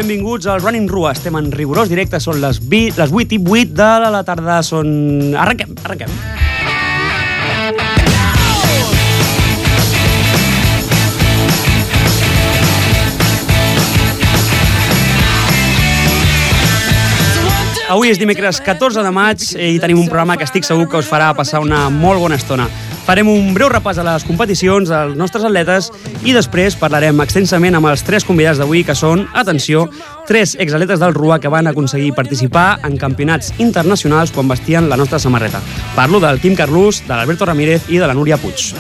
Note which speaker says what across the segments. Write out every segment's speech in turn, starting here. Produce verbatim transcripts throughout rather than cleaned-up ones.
Speaker 1: benvinguts al Running Rua. Estem en rigorós directe, són les vuit i vuit de la tarda. Són... Arrenquem, arrenquem. Avui és dimecres catorze de maig i tenim un programa que estic segur que us farà passar una molt bona estona. Farem un breu repàs a les competicions dels nostres atletes i després parlarem extensament amb els tres convidats d'avui, que són, atenció, tres exatletes del Rua que van aconseguir participar en campionats internacionals quan vestien la nostra samarreta. Parlo del Quim Carlús, de l'Alberto Ramírez i de la Núria Puig.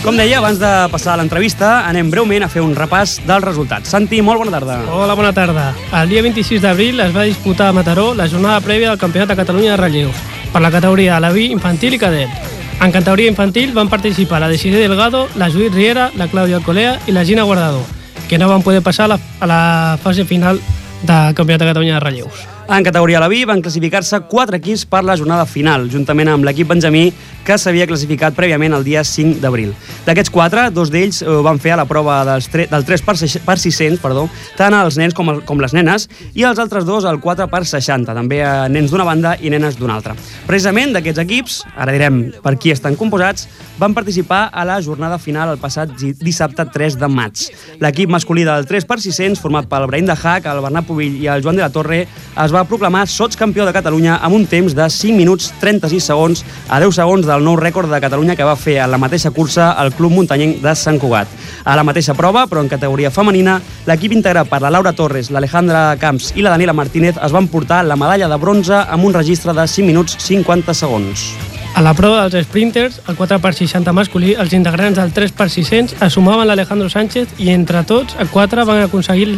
Speaker 1: Com deia, abans de passar a l'entrevista, anem breument a fer un repàs dels resultats. Santi, molt bona tarda.
Speaker 2: Hola, bona tarda. El dia vint-i-sis d'abril es va disputar a Mataró la jornada prèvia del Campionat de Catalunya de relleus per la categoria Alaví, infantil i cadet. En categoria infantil van participar la Desiree Delgado, la Judit Riera, la Clàudia Colea i la Gina Guardador, que no van poder passar a la, a la fase final del Campionat de Catalunya de relleus.
Speaker 1: En categoria Alaví van classificar-se quatre equips per la jornada final, juntament amb l'equip benjamí, que s'havia classificat prèviament el dia cinc d'abril. D'aquests quatre, dos d'ells ho van fer a la prova dels tre del tres per sis-cents, perdó, tant els nens com, el, com les nenes, i els altres dos al quatre per seixanta, també a nens d'una banda i nenes d'una altra. Precisament d'aquests equips, ara direm per qui estan composats, van participar a la jornada final el passat dissabte tres de maig. L'equip masculí del tres per sis-cents, format pel Brahim de Hac, el Bernat Pubill i el Joan de la Torre, es va proclamar sotscampió de Catalunya amb un temps de cinc minuts trenta-sis segons a deu segons del nou rècord de Catalunya que va fer a la mateixa cursa al Club Muntanyenc de Sant Cugat. A la mateixa prova, però en categoria femenina, l'equip integrat per la Laura Torres, l'Alejandra Camps i la Daniela Martínez es van portar la medalla de bronze amb un registre de cinc minuts cinquanta segons.
Speaker 2: A la prova dels sprinters, el quatre per seixanta masculí, els integrants del tres per sis-cents assumaven l'Alejandro Sánchez i entre tots, els quatre van aconseguir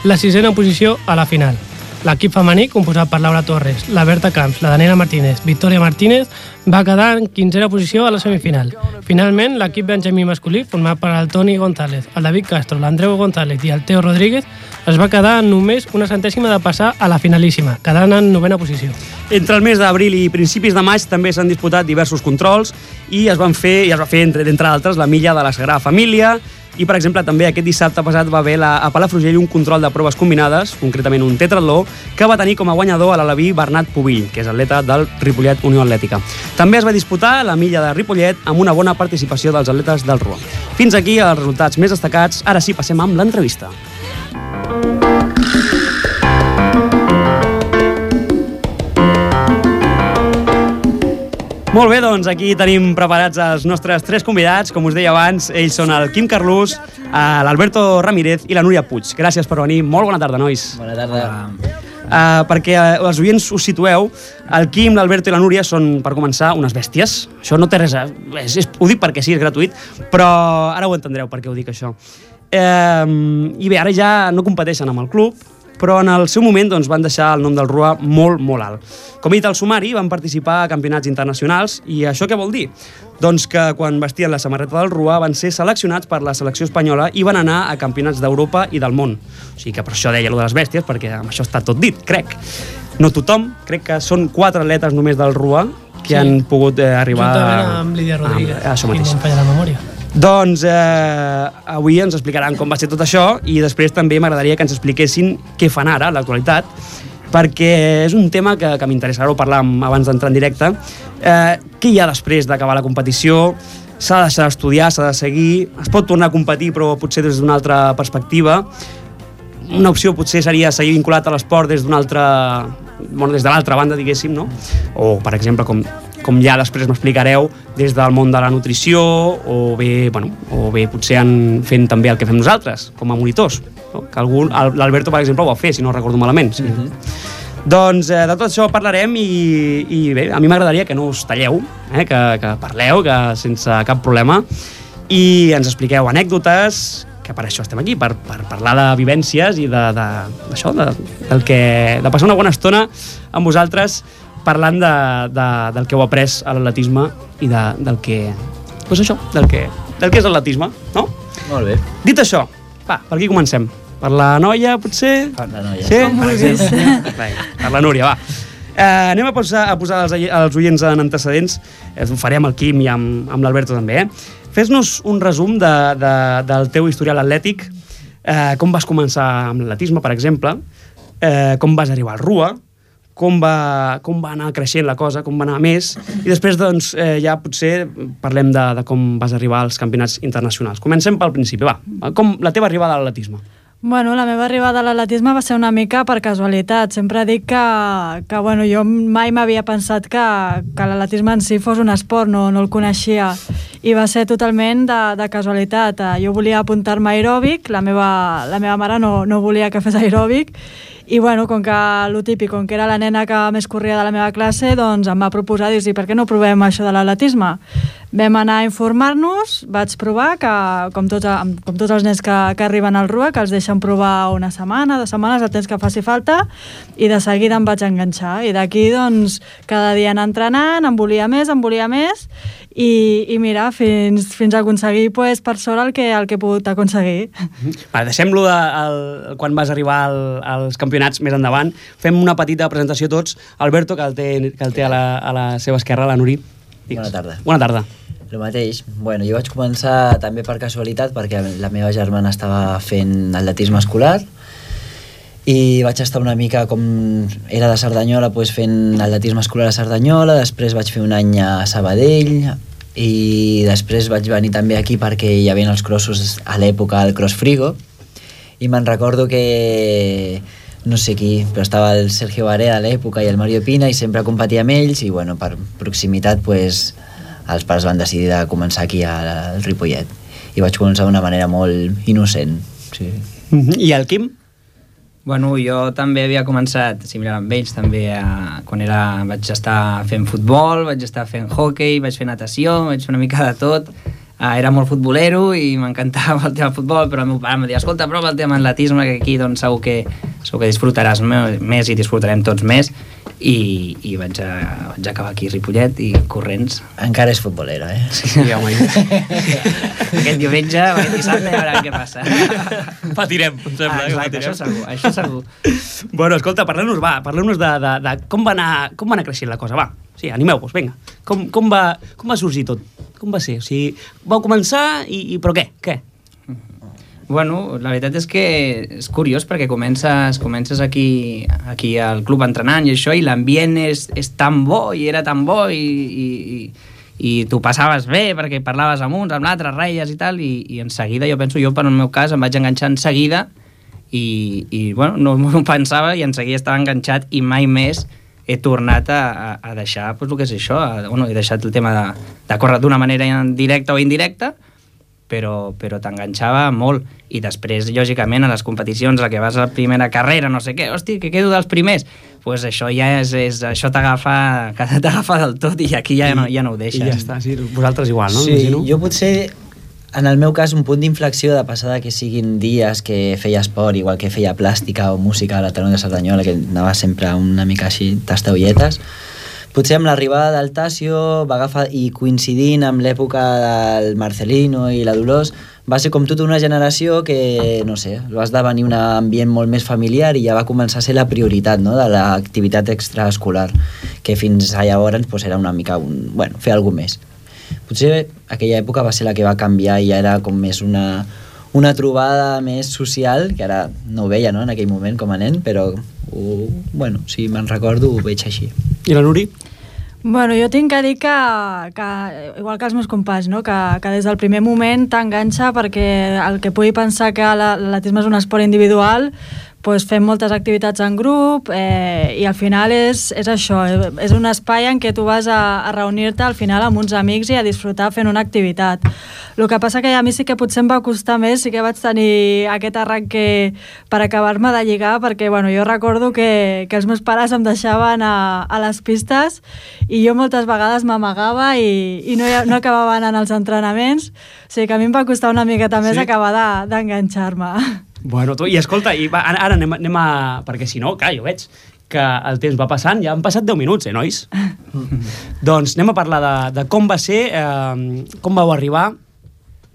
Speaker 2: la sisena posició a la final. L'equip femení, composat per Laura Torres, la Berta Camps, la Daniela Martínez, Victòria Martínez, va quedar en quinzena posició a la semifinal. Finalment, l'equip benjamí masculí, format per el Toni González, el David Castro, l'Andreu González i el Teo Rodríguez, es va quedar en només una centèsima de passar a la finalíssima, quedant en novena posició.
Speaker 1: Entre el mes d'abril i principis de maig també s'han disputat diversos controls i es van fer, i es va fer, entre, entre altres, la milla de la Sagrada Família. I, per exemple, també aquest dissabte passat va haver la, a Palafrugell un control de proves combinades, concretament un tetratló, que va tenir com a guanyador a l'alaví Bernat Pubill, que és atleta del Ripollet Unió Atlètica. També es va disputar la milla de Ripollet amb una bona participació dels atletes del Rua. Fins aquí els resultats més destacats. Ara sí, passem amb l'entrevista. Molt bé, doncs aquí tenim preparats els nostres tres convidats. Com us deia abans, ells són el Quim Carlús, l'Alberto Ramírez i la Núria Puig. Gràcies per venir. Molt bona tarda, nois.
Speaker 3: Bona tarda.
Speaker 1: Uh, perquè uh, els oients us situeu, el Quim, l'Alberto i la Núria són, per començar, unes bèsties. Això no té res a... És, és, ho dic perquè sí, és gratuït, però ara ho entendreu per què ho dic, això. Uh, I bé, ara ja no competeixen amb el club, però en el seu moment doncs, van deixar el nom del Rua molt, molt alt. Com he dit al sumari, van participar a campionats internacionals, i això què vol dir? Doncs que quan vestien la samarreta del Rua van ser seleccionats per la selecció espanyola i van anar a campionats d'Europa i del món. O sigui que per això deia allò de les bèsties, perquè amb això està tot dit, crec. No tothom, crec que són quatre atletes només del Rua que sí. han pogut eh, arribar...
Speaker 2: Juntament amb Lídia Rodríguez,
Speaker 1: ah, això mateix.
Speaker 2: Si no em falla la memòria.
Speaker 1: Doncs eh, avui ens explicaran com va ser tot això i després també m'agradaria que ens expliquessin què fan ara, a l'actualitat, perquè és un tema que, que m'interessa. Ara ho parlàvem abans d'entrar en directe. Eh, què hi ha després d'acabar la competició? S'ha de deixar d'estudiar, s'ha de seguir, es pot tornar a competir però potser des d'una altra perspectiva. Una opció potser seria seguir vinculat a l'esport des d'una altra... Bueno, des de l'altra banda, diguéssim, no? O, per exemple, com, com ja després m'explicareu, des del món de la nutrició, o bé, bueno, o bé potser en fent també el que fem nosaltres, com a monitors. No? Que algú, l'Alberto, per exemple, ho va fer, si no recordo malament. Sí. Mm-hmm. Doncs eh, de tot això parlarem i, i bé, a mi m'agradaria que no us talleu, eh, que, que parleu, que sense cap problema, i ens expliqueu anècdotes, que per això estem aquí, per, per parlar de vivències i de, de, d'això, de, del que, de passar una bona estona amb vosaltres parlant de, de, del que heu après a l'atletisme i de, del que, doncs això, del que, del que és l'atletisme, no?
Speaker 3: Molt bé.
Speaker 1: Dit això, va, per aquí comencem. Per la noia, potser?
Speaker 3: Per la noia.
Speaker 1: Sí? Per, per la Núria, va. Eh, anem a posar, a posar els, els oients en antecedents. Eh, ho farem el Quim i amb, amb l'Alberto també. Eh? Fes-nos un resum de, de, del teu historial atlètic. Eh, com vas començar amb l'atletisme, per exemple. Eh, com vas arribar al R U A. Com va, com va anar creixent la cosa, com va anar més. I després, doncs, eh, ja potser parlem de, de com vas arribar als campionats internacionals. Comencem pel principi, va. Com la teva arribada a l'atletisme?
Speaker 3: Bueno, la meva arribada a l'atletisme va ser una mica per casualitat. Sempre dic que, que bueno, jo mai m'havia pensat que, que l'atletisme en si fos un esport, no, no el coneixia. I va ser totalment de, de casualitat. Jo volia apuntar-me a aeròbic, la meva, la meva mare no, no volia que fes aeròbic, i bueno, com que lo típic, com que era la nena que més corria de la meva classe, doncs em va proposar, dir, per què no provem això de l'atletisme? Vam anar a informar-nos, vaig provar, que com tots, com tots els nens que, que arriben al R U A, que els deixen provar una setmana, dues setmanes, el temps que faci falta, i de seguida em vaig enganxar. I d'aquí, doncs, cada dia anar entrenant, em volia més, em volia més, i, i mira, fins, fins a aconseguir, pues, per sort el que, el que he pogut aconseguir.
Speaker 1: Va, deixem-lo de, el, quan vas arribar al, als campionats més endavant. Fem una petita presentació tots. Alberto, que el té, que el té a, la, a la seva esquerra, la Nuri. Digues.
Speaker 4: Bona tarda.
Speaker 1: Bona tarda.
Speaker 4: El mateix. Bueno, jo vaig començar també per casualitat, perquè la meva germana estava fent atletisme escolar i vaig estar una mica, com era de Cerdanyola, doncs fent atletisme escolar a Cerdanyola. Després vaig fer un any a Sabadell i després vaig venir també aquí perquè hi havia els crossos a l'època, el Cross Frigo, i me'n recordo que no sé qui, però estava el Sergio Barea a l'època i el Mario Pina, i sempre competia amb ells, i bueno, per proximitat, pues, els pares van decidir de començar aquí al Ripollet, i vaig començar d'una manera molt innocent. Sí.
Speaker 1: I el Quim?
Speaker 5: Bueno, jo també havia començat similar amb ells, també a, quan era, vaig estar fent futbol, vaig estar fent hockey, vaig fer natació, vaig fer una mica de tot. Uh, era molt futbolero i m'encantava el tema del futbol, però el meu pare em deia, escolta, prova el tema atletisme, que aquí doncs, segur, que, segur que disfrutaràs més i disfrutarem tots més, i, i vaig, a, vaig acabar aquí a Ripollet i corrents.
Speaker 4: Encara és futbolero, eh?
Speaker 1: Sí, home.
Speaker 5: Aquest diumenge, aquest dissabte, ja veurem què passa.
Speaker 1: Patirem, em sembla.
Speaker 5: Ah, exacte, això segur, això segur.
Speaker 1: Bueno, escolta, parleu-nos, va, parleu-nos de, de, de com va anar, com va anar creixent la cosa, va. Sí, animeu-vos, vinga. Com, com, va, com va sorgir tot? Com va ser? O sigui, vau començar i, i però què? Què?
Speaker 5: Bueno, la veritat és que és curiós perquè comences, comences aquí, aquí al club entrenant i això, i l'ambient és, és tan bo i era tan bo i, i, i, i tu passaves bé perquè parlaves amb uns, amb l'altre, reies i tal, i, i en seguida, jo penso, jo per el meu cas em vaig enganxar en seguida i, i bueno, no m'ho pensava i en seguida estava enganxat i mai més he tornat a, a, a deixar pues, el que és això, a, bueno, he deixat el tema de, de córrer d'una manera directa o indirecta, però, però t'enganxava molt, i després, lògicament, a les competicions, a que vas a la primera carrera, no sé què, hosti, que quedo dels primers, pues això ja és, és això t'agafa t'agafa del tot, i aquí ja no, ja no ho deixes.
Speaker 1: I ja està, sí, vosaltres igual, no?
Speaker 4: Sí,
Speaker 1: Imagino.
Speaker 4: jo potser, en el meu cas, un punt d'inflexió de passar de que siguin dies que feia esport, igual que feia plàstica o música a l'Ateneu de Cerdanyola, que anava sempre una mica així, tastaolletes, potser amb l'arribada del Tasio va agafar, i coincidint amb l'època del Marcelino i la Dolors, va ser com tota una generació que, no sé, va esdevenir un ambient molt més familiar i ja va començar a ser la prioritat, no?, de l'activitat extraescolar, que fins a llavors pues, era una mica un, bueno, fer alguna més. Potser aquella època va ser la que va canviar i ja era com més una, una trobada més social, que ara no ho veia, no?, en aquell moment com a nen, però ho, bueno, si me'n recordo ho veig així.
Speaker 1: I la Nuri?
Speaker 3: Bueno, jo tinc que dir que, que igual que els meus companys, no? que, que des del primer moment t'enganxa, perquè el que pugui pensar que l'atletisme és un esport individual, pues fem moltes activitats en grup, eh, i al final és, és això, és un espai en què tu vas a, a reunir-te al final amb uns amics i a disfrutar fent una activitat. El que passa que a mi sí que potser em va costar més, sí que vaig tenir aquest arranque per acabar-me de lligar, perquè bueno, jo recordo que, que els meus pares em deixaven a, a les pistes i jo moltes vegades m'amagava i, i no, no acabava anant als entrenaments, o sigui que a mi em va costar una miqueta més sí? acabar d'enganxar-me.
Speaker 1: Bueno, tu, i escolta, i va, ara anem, anem a... Perquè si no, clar, jo veig que el temps va passant, ja han passat deu minuts, eh, nois? Doncs anem a parlar de, de com va ser, eh, com vau arribar,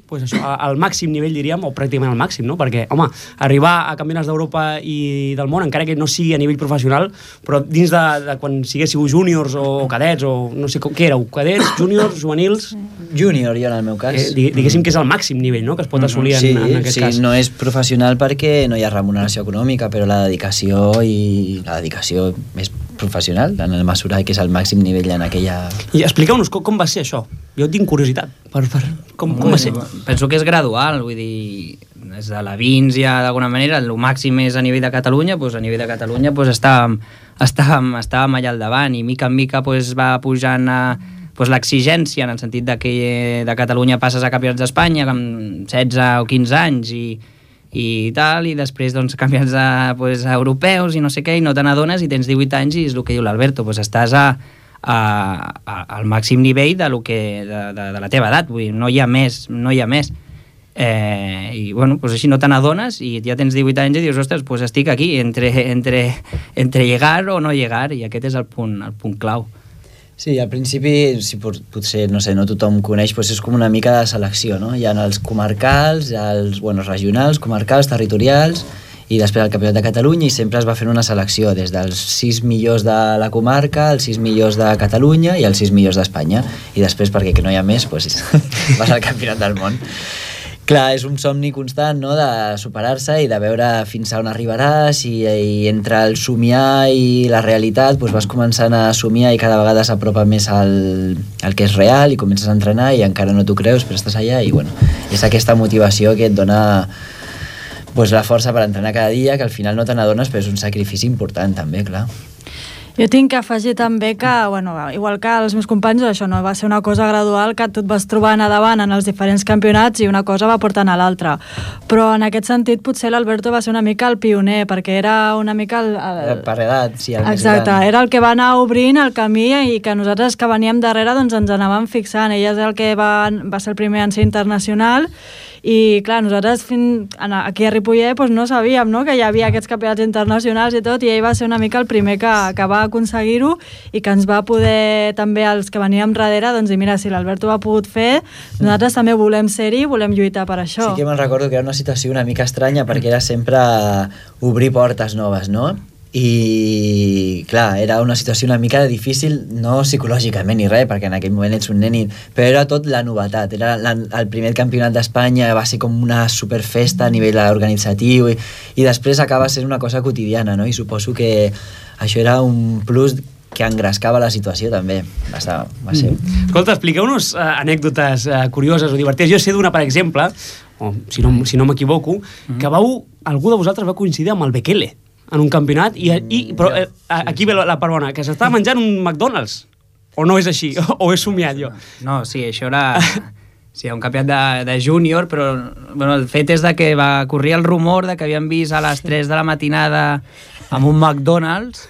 Speaker 1: pues això, al màxim nivell, diríem, o pràcticament al màxim, no? Perquè, home, arribar a campionats d'Europa i del món, encara que no sigui a nivell professional, però dins de, de quan siguéssiu júniors o, o cadets, o no sé com, què éreu, cadets, júniors, juvenils...
Speaker 4: Júnior, jo en el meu cas.
Speaker 1: Eh, diguéssim que és el màxim nivell, no?, que es pot assolir en,
Speaker 4: sí,
Speaker 1: en aquest
Speaker 4: sí,
Speaker 1: cas.
Speaker 4: Sí, no és professional perquè no hi ha remuneració econòmica, però la dedicació i la dedicació és professional, en la mesura que és el màxim nivell en aquella...
Speaker 1: I expliqueu-nos com, com va ser això. Jo tinc curiositat. Per, per, com, com va ser?
Speaker 5: Penso que és gradual, vull dir, des de la Vins ja d'alguna manera, el màxim és a nivell de Catalunya, doncs a nivell de Catalunya doncs estàvem, estàvem, estàvem allà al davant i mica en mica doncs va pujant a, doncs l'exigència en el sentit de que de Catalunya passes a campionats d'Espanya amb setze o quinze anys i i tal, i després doncs campionats de, pues, europeus i no sé què, i no te n'adones i tens divuit anys i és el que diu l'Alberto, pues estàs a, a, a, al màxim nivell de, lo que, de, de, de la teva edat, vull dir, no hi ha més, no hi ha més. Eh, i bueno, pues així no te n'adones i ja tens divuit anys i dius, ostres, pues estic aquí entre, entre, entre llegar o no llegar, i aquest és el punt, el punt clau.
Speaker 4: Sí, al principi, si potser, no sé, no tothom coneix, doncs és com una mica de selecció, no? Hi ha els comarcals, hi ha els bueno, regionals, comarcals, territorials, i després el Campionat de Catalunya, i sempre es va fent una selecció, des dels sis millors de la comarca, els sis millors de Catalunya i els sis millors d'Espanya. I després, perquè que no hi ha més, doncs vas al Campionat del món. Clar, és un somni constant, no?, de superar-se i de veure fins a on arribaràs, i, i entre el somiar i la realitat doncs vas començant a somiar i cada vegada s'apropa més al, al que és real i comences a entrenar i encara no t'ho creus, però estàs allà i bueno, és aquesta motivació que et dona doncs, la força per entrenar cada dia, que al final no te n'adones, però és un sacrifici important també, clar.
Speaker 3: Jo tinc que afegir també que, bueno, igual que els meus companys, això no va ser una cosa gradual, que tu et vas trobant a davant en els diferents campionats i una cosa va portant a l'altra. Però en aquest sentit potser l'Alberto va ser una mica el pioner, perquè era una mica... El, el...
Speaker 4: Per edat, sí, el
Speaker 3: Exacte, més gran. Era el que va anar obrint el camí i que nosaltres que veníem darrere doncs ens anàvem fixant. Ell és el que va, va ser el primer en ser internacional i clar, nosaltres fin, aquí a Ripollet doncs no sabíem, no?, que hi havia aquests campionats internacionals i tot, i ell va ser una mica el primer que, que va aconseguir-ho i que ens va poder també, els que veníem darrere, doncs dir, mira, si l'Alberto ho ha pogut fer, nosaltres també volem ser-hi i volem lluitar per això.
Speaker 4: Sí que me'n recordo que era una situació una mica estranya perquè era sempre obrir portes noves, no? I clar, era una situació una mica difícil, no psicològicament ni res, perquè en aquell moment ets un nen, però era tot la novetat, era la, el primer campionat d'Espanya, va ser com una superfesta a nivell organitzatiu i, i després acaba sent una cosa quotidiana, no? I suposo que això era un plus que engrescava la situació també. Va ser... Va ser...
Speaker 1: Mm. Escolta, expliqueu-nos uh, anècdotes uh, curioses o divertides. Jo sé d'una, per exemple, o si no, si no m'equivoco, mm. que vau, algú de vosaltres va coincidir amb el Bekele en un campionat, i, i, però eh, aquí ve la, la part bona, que s'estava menjant un McDonald's. O no és així? O, o he somiat jo?
Speaker 5: No, sí, això era... Sí, un campionat de, de júnior, però bueno, el fet és de que va corrir el rumor de que havien vist a les tres de la matinada amb un McDonald's,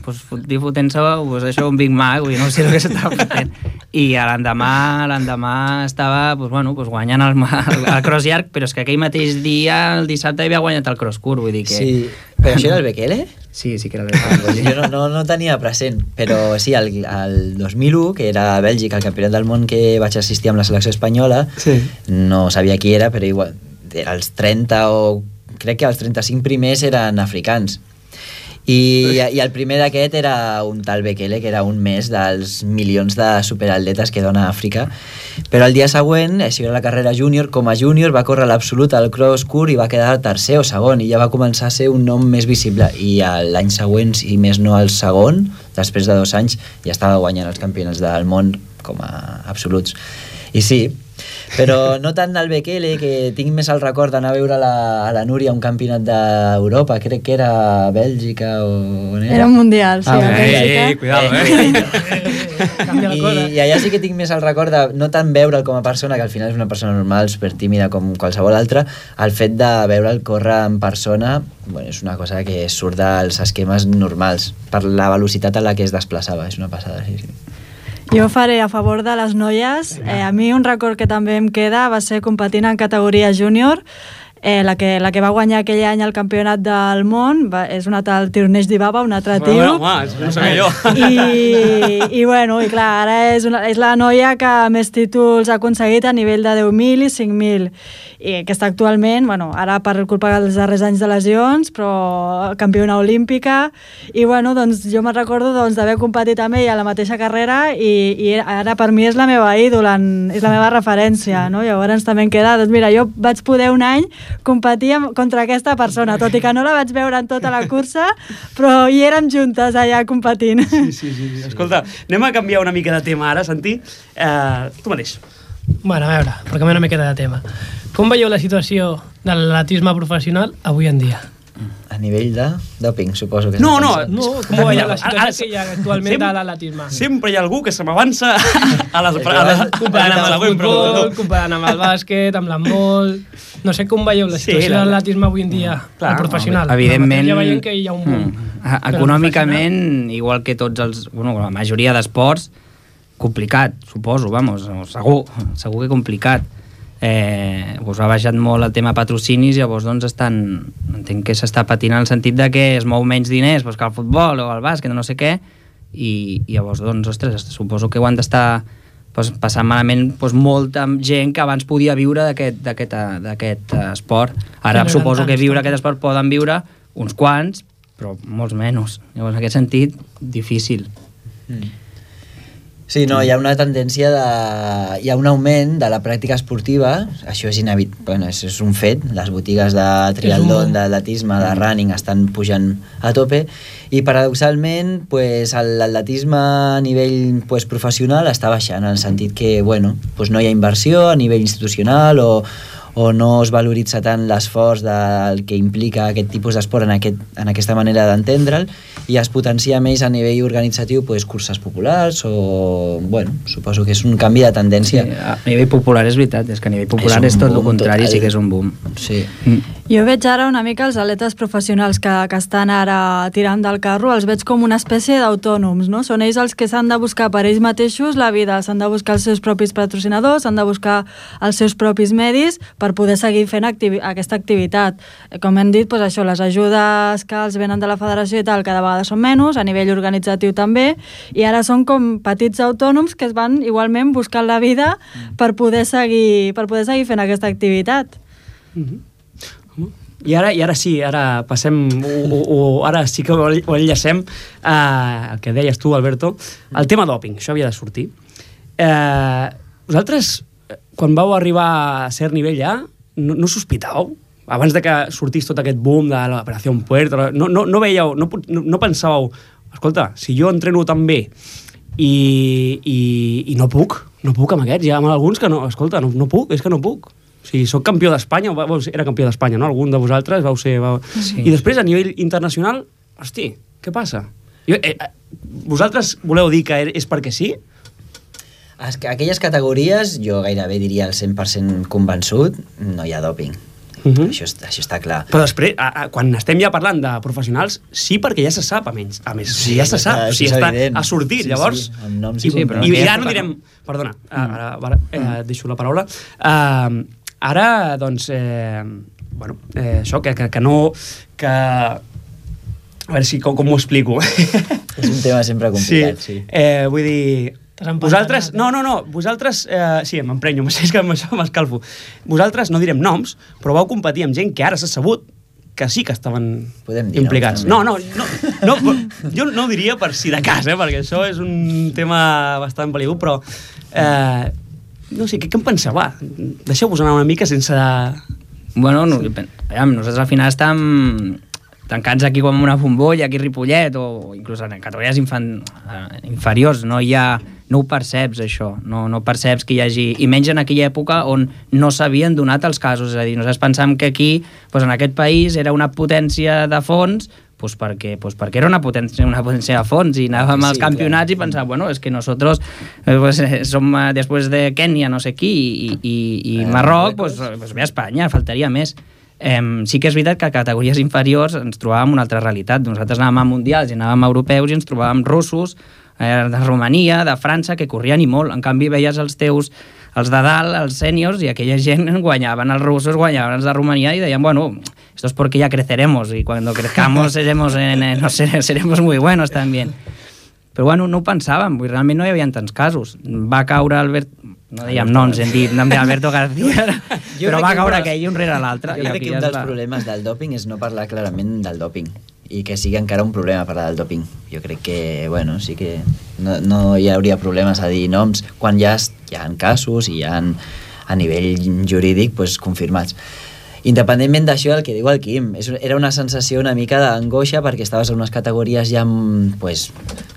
Speaker 5: pues, fotent-se pues, això, un Big Mac, vull dir, no sé el que s'estava fotent. I l'endemà l'endemà estava pues, bueno, pues, guanyant el, el, el cross llarg, però és que aquell mateix dia, el dissabte, havia guanyat el cross curt, vull dir que...
Speaker 4: Sí, però això era el Bekele?
Speaker 5: Sí, sí que era el Bekele.
Speaker 4: Jo no, no, no tenia present, però sí, el, el dos mil u, que era a Bèlgica, el campionat del món que vaig assistir amb la selecció espanyola, sí. No sabia qui era, però igual, els trenta o... crec que els trenta-cinc primers eren africans. I, i el primer d'aquest era un tal Bekele, que era un més dels milions de superatletes que dona Àfrica, però el dia següent, això era la carrera júnior, com a júnior va córrer l'absolut al cross curt i va quedar tercer o segon, i ja va començar a ser un nom més visible, i l'any següent, si més no el segon, després de dos anys, ja estava guanyant els campionats del món com a absoluts. I sí, però no tant el Bekele, que tinc més el record d'anar a veure la, a la Núria un campionat d'Europa, crec que era a Bèlgica o... Era?
Speaker 3: Era un mundial, sí,
Speaker 1: ah,
Speaker 3: a Bèlgica.
Speaker 1: Eh, cuidado, eh?
Speaker 4: I, I allà sí que tinc més el record de no tant veure'l com a persona, que al final és una persona normal, super tímida com qualsevol altra, el fet de veure'l córrer en persona, bueno, és una cosa que surt dels esquemes normals, per la velocitat a la que es desplaçava, és una passada, sí, sí.
Speaker 3: Jo faré a favor de les noies. Eh, a mi un record que també em queda va ser competint en categoria júnior. Eh, la, que, la que va guanyar aquell any el campionat del món va, és una tal Tirneix Dibaba, un altre tio.
Speaker 1: Home, home, no sabia jo.
Speaker 3: I, i bueno, i clar, ara és, una, és la noia que més títols ha aconseguit a nivell de deu mil i cinc mil. I que està actualment, bueno, ara per culpa dels darrers anys de lesions, però campiona olímpica. I bueno, doncs jo me'n recordo doncs, d'haver competit amb ella a la mateixa carrera i, i ara per mi és la meva ídola, és la meva referència, no? Llavors també em queda, doncs mira, jo vaig poder un any competir contra aquesta persona, tot i que no la vaig veure en tota la cursa, però hi érem juntes allà competint.
Speaker 1: Sí, sí, sí. Escolta, anem a canviar una mica de tema ara, Santi. Eh, tu mateix.
Speaker 2: Bueno, a veure, per canviar una miqueta de tema. Com veieu la situació de l'atletisme professional avui en dia?
Speaker 4: A nivell de doping, suposo que...
Speaker 1: No, no,
Speaker 2: no, com veieu la situació ara, que hi ha actualment
Speaker 1: sempre,
Speaker 2: de l'atletisme?
Speaker 1: Sempre hi ha algú que se m'avança a les... A les
Speaker 2: comparant amb el futbol, comparant amb el bàsquet, amb l'handbol... No sé com veieu la situació sí, de l'atletisme avui en dia, clar, el professional.
Speaker 5: Evidentment...
Speaker 2: Ja veiem que hi ha un boom.
Speaker 5: Mm, econòmicament, igual que tots els... Bueno, la majoria d'esports, complicat, suposo, vamos, segur, segur que complicat. Eh, doncs ha baixat molt el tema patrocinis, llavors doncs estan, entenc que s'està patint en el sentit de que es mou menys diners doncs, que el futbol o el bàsquet o no sé què, i, i llavors doncs, ostres, suposo que ho han d'estar doncs, passant malament doncs, molta gent que abans podia viure d'aquest esport. Ara sí, suposo que viure aquest esport poden viure uns quants, però molts menys. Llavors en aquest sentit, difícil.
Speaker 4: Mm. Sí, no, hi ha una tendència de... Hi ha un augment de la pràctica esportiva, això és inevitable, bueno, és, és un fet, les botigues de triatlon, un... d'atletisme, de running estan pujant a tope, i paradoxalment pues, l'atletisme a nivell pues, professional està baixant, en el sentit que bueno, pues, no hi ha inversió a nivell institucional o, o no es valoritza tant l'esforç del que implica aquest tipus d'esport en, aquest, en aquesta manera d'entendre'l, i es potencia més a nivell organitzatiu pues, curses populars o... bueno, suposo que és un canvi de tendència.
Speaker 5: Sí, a nivell popular és veritat, és que a nivell popular és, és tot el contrari, total. Sí que és un boom.
Speaker 4: Sí.
Speaker 5: Mm.
Speaker 3: Jo veig ara una mica els atletes professionals que, que estan ara tirant del carro, els veig com una espècie d'autònoms, no? Són ells els que s'han de buscar per ells mateixos la vida, s'han de buscar els seus propis patrocinadors, s'han de buscar els seus propis medis per poder seguir fent activi aquesta activitat. Com hem dit, doncs això, les ajudes que els venen de la federació i tal, cada vegada són menys, a nivell organitzatiu també, i ara són com petits autònoms que es van igualment buscant la vida per poder seguir, per poder seguir fent aquesta activitat.
Speaker 1: Mm-hmm. I ara, i ara sí, ara passem, o, o, ara sí que ho enllacem, eh, el que deies tu, Alberto, el tema doping, això havia de sortir. Eh, vosaltres, quan vau arribar a cert nivell ja, no, no sospitàveu? Abans de que sortís tot aquest boom de l'operació Puerto, no, no, no veieu, no, no, no pensàveu, escolta, si jo entreno tan bé i, i, i no puc, no puc amb aquests, hi ha alguns que no, escolta, no, no puc, és que no puc. O sigui, soc campió d'Espanya, era campió d'Espanya, no? Algun de vosaltres vau ser... Vau... Sí. I després, a nivell internacional, hosti, què passa? Jo, eh, vosaltres voleu dir que és perquè sí?
Speaker 4: Aquelles categories, jo gairebé diria el cent per cent convençut, no hi ha doping. Uh-huh. Això, això està clar.
Speaker 1: Però després, a, a, quan estem ja parlant de professionals, sí, perquè ja se sap, a menys. A més, sí, ja se sap, o sigui, està, ha sortit, sí, llavors...
Speaker 4: Sí, amb noms
Speaker 1: i,
Speaker 4: sí,
Speaker 1: però i, i ara no direm... Perdona, ara, ara eh, deixo la paraula. Uh, ara, doncs, eh, bueno, eh, això, que, que, que no... Que... A veure si, com, com ho explico.
Speaker 4: És un tema sempre complicat, sí.
Speaker 1: sí. Eh, vull dir... Vosaltres, no, no, no, vosaltres, eh, sí, m'emprenyo, és que amb això m'escalfo. Vosaltres, no direm noms, però vau competir amb gent que ara s'ha sabut que sí que estaven implicats. No, no, no, no, jo no ho diria per si de cas, eh, perquè això és un tema bastant peligut, però eh, no sé, què, què em penseu? Va, deixeu-vos anar una mica sense...
Speaker 5: Bueno, no, nosaltres al final estem tancats aquí com una bombolla, aquí a Ripollet, o inclús en categories infan, eh, inferiors, no hi ha... No ho perceps, això. No, no perceps que hi hagi... I menys en aquella època on no s'havien donat els casos. És a dir, nosaltres pensàvem que aquí, doncs en aquest país, era una potència de fons, doncs perquè, doncs perquè era una potència, una potència de fons, i anàvem sí, als campionats clar. I pensàvem, bueno, és que nosotros pues, som després de Kènia, no sé qui, i, i, i eh, Marroc, doncs pues, ve a Espanya, faltaria més. Eh, sí que és veritat que a categories inferiors ens trobàvem una altra realitat. Nosaltres anàvem a mundials i anàvem a europeus i ens trobàvem russos, de Romania, de França, que corrien i molt. En canvi, veies els teus, els de dalt, els sèniors, i aquella gent guanyaven, els russos guanyaven els de Romania i deien, bueno, esto es porque ya creceremos y cuando crezcamos seremos, en, en, no sé, seremos muy buenos también. Però bueno, no ho pensàvem, realment no hi havia tants casos. Va caure Albert... No dèiem noms, hem dit nom d'Alberto García, però va caure aquell un rere l'altre.
Speaker 4: Jo crec que un dels problemes del dòping és no parlar clarament del dòping i que sigui encara un problema parlar del dòping. Jo crec que, bueno, sí que no, no hi hauria problemes a dir noms quan ja hi ha casos i hi ha a nivell jurídic pues, confirmats. Independentment d'això, el que diu el Quim, és, era una sensació una mica d'angoixa perquè estaves en unes categories ja, pues,